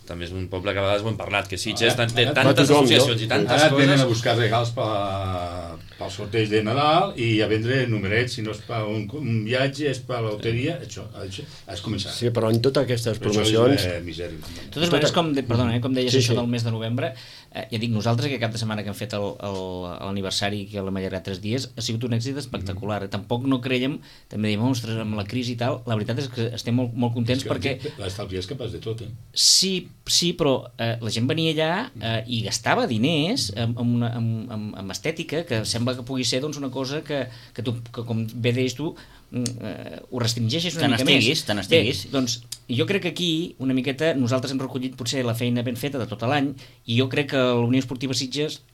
també és un poble que a vegades ho hem parlat, que Sitges té tantes associacions i tantes coses... Ara venen a buscar regals pel sorteig de Nadal i a vendre numerets, si no és per un viatge, és per la loteria, això, has començat. Sí, però en totes aquestes promocions... De totes maneres, com, de, perdona, eh, com deies això del mes de novembre, eh, ja dic, nosaltres que cap de setmana que hem fet l'aniversari, que l'hem allargat tres dies, ha sigut un èxit espectacular. Tampoc no creiem, també diem, ostres, amb la crisi i tal, la veritat és que estem molt, molt contents perquè... L'estalvi és capaç de tot, eh? Sí, sí, però eh, la gent venia allà eh, i gastava diners amb, amb, una, amb, amb, amb estètica, que sembla que pugui ser doncs, una cosa que, que, tu, que com bé deies tu, eh, ho restringeixes una mica més. Tant estiguis. Bé, doncs jo crec que aquí, una miqueta, nosaltres hem recollit potser la feina ben feta de tot l'any, i jo crec que la Unió Esportiva Sitges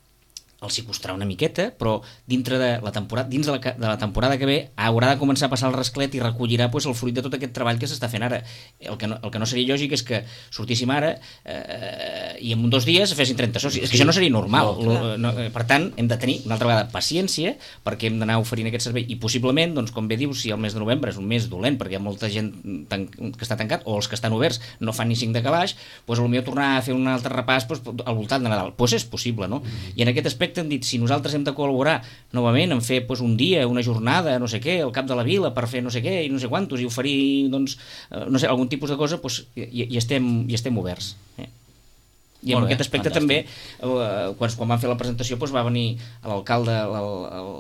els hi costarà una miqueta, però dintre de la temporada, dins de la, de la temporada que ve haurà de començar a passar el rasclet i recollirà pues, el fruit de tot aquest treball que s'està fent ara. El que, no, el que no seria lògic és que sortíssim ara eh, i en dos dies fessin trenta socis. És que això no seria normal. No, no, per tant, hem de tenir una altra vegada paciència, perquè hem d'anar oferint aquest servei i possiblement, doncs, com bé dius, si el mes de novembre és un mes dolent perquè hi ha molta gent tan, que està tancat o els que estan oberts no fan ni cinc de calaix, doncs potser tornar a fer un altre repàs pues, al voltant de Nadal. Doncs és possible, no? I en aquest aspecte hem dit, si nosaltres hem de col·laborar novament en fer pues, un dia, una jornada, no sé què, al cap de la vila per fer no sé què i no sé quantos i oferir doncs, no sé, algun tipus de cosa, pues, i, i, estem, i estem oberts. Eh? I en aquest aspecte fantàstic. També, eh, quan, quan van fer la presentació, doncs, va venir l'alcalde al, al,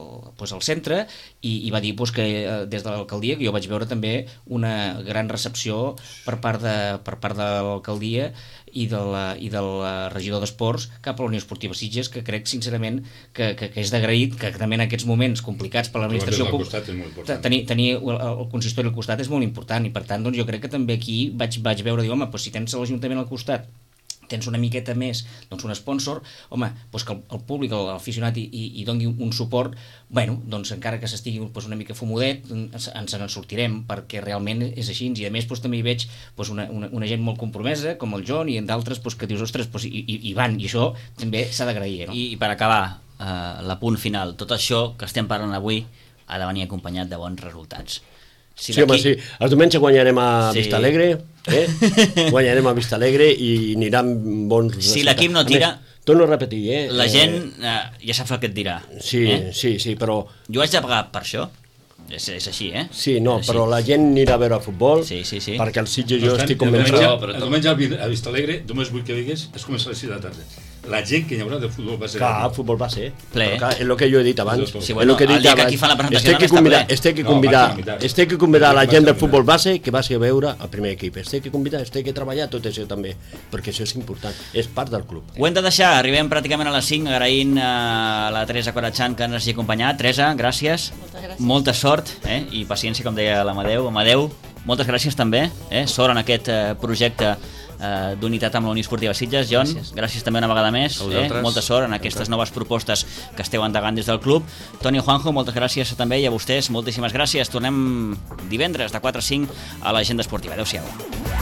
doncs, al centre i, i va dir doncs, que eh, des de l'alcaldia, que jo vaig veure també una gran recepció per part de, per part de l'alcaldia i de la, i del regidor d'esports cap a la Unió Esportiva Sitges, que crec sincerament que, que, que és d'agraït, que també en aquests moments complicats per l'administració tenir, tenir el, el consistori al costat és molt important, i per tant doncs, jo crec que també aquí vaig, vaig veure, dir, home, doncs, si tens l'Ajuntament al costat tens una miqueta més doncs un sponsor, home, doncs que el, el públic, l'aficionat i, i, i doni un suport, bueno, doncs encara que s'estigui doncs una mica fumodet, ens, ens en sortirem, perquè realment és així, i a més doncs, també hi veig doncs, una, una, una gent molt compromesa, com el John, i d'altres doncs, que dius, ostres, doncs, i, i, i van, i això també s'ha d'agrair. No? I, I per acabar, eh, l'apunt final, tot això que estem parlant avui ha de venir acompanyat de bons resultats. Si sí, home, sí. El diumenge guanyarem a sí. Vistalegre, eh? guanyarem a Vistalegre i aniran bons resultats. Si l'equip no tira... Més, torno a repetir, eh? La gent eh, ja sap el que et dirà. Sí, eh? sí, sí, però... Jo haig de pagar per això. És, és així, eh? Sí, no, així. Però la gent anirà a veure futbol, sí, sí, sí. perquè el Sitges jo tant, estic convençut... El diumenge a Vistalegre, només vull que digues, es comença a les sis de la tarda. La gent que hi haurà de futbol base. Clar, el futbol base. Ple. Clar, és el que jo he dit abans. Sí, bueno, el dia que aquí fan la presentació este que convidar, este que convidar, no, este que convidar la gent del futbol base que vagi a veure el primer equip. Este que convidar, este que treballar tot això també, perquè això és important, és part del club. Ho hem de deixar, arribem pràcticament a les cinc, agraint a la Teresa Corachán que ens hagi acompanyat. Teresa, gràcies. Moltes gràcies. Molta sort, eh? I paciència, com deia l'Amadeu. Amadeu, moltes gràcies també, eh? Sort en aquest eh, projecte Uh, d'unitat amb la Unió Esportiva Sitges. John, gràcies, gràcies també una vegada més, eh? Molta sort en aquestes noves propostes que esteu endegant des del club. Toni Juanjo, moltes gràcies també, i a vostès moltíssimes gràcies. Tornem divendres de quatre a cinc a l'Agenda Esportiva. Adéu-siau.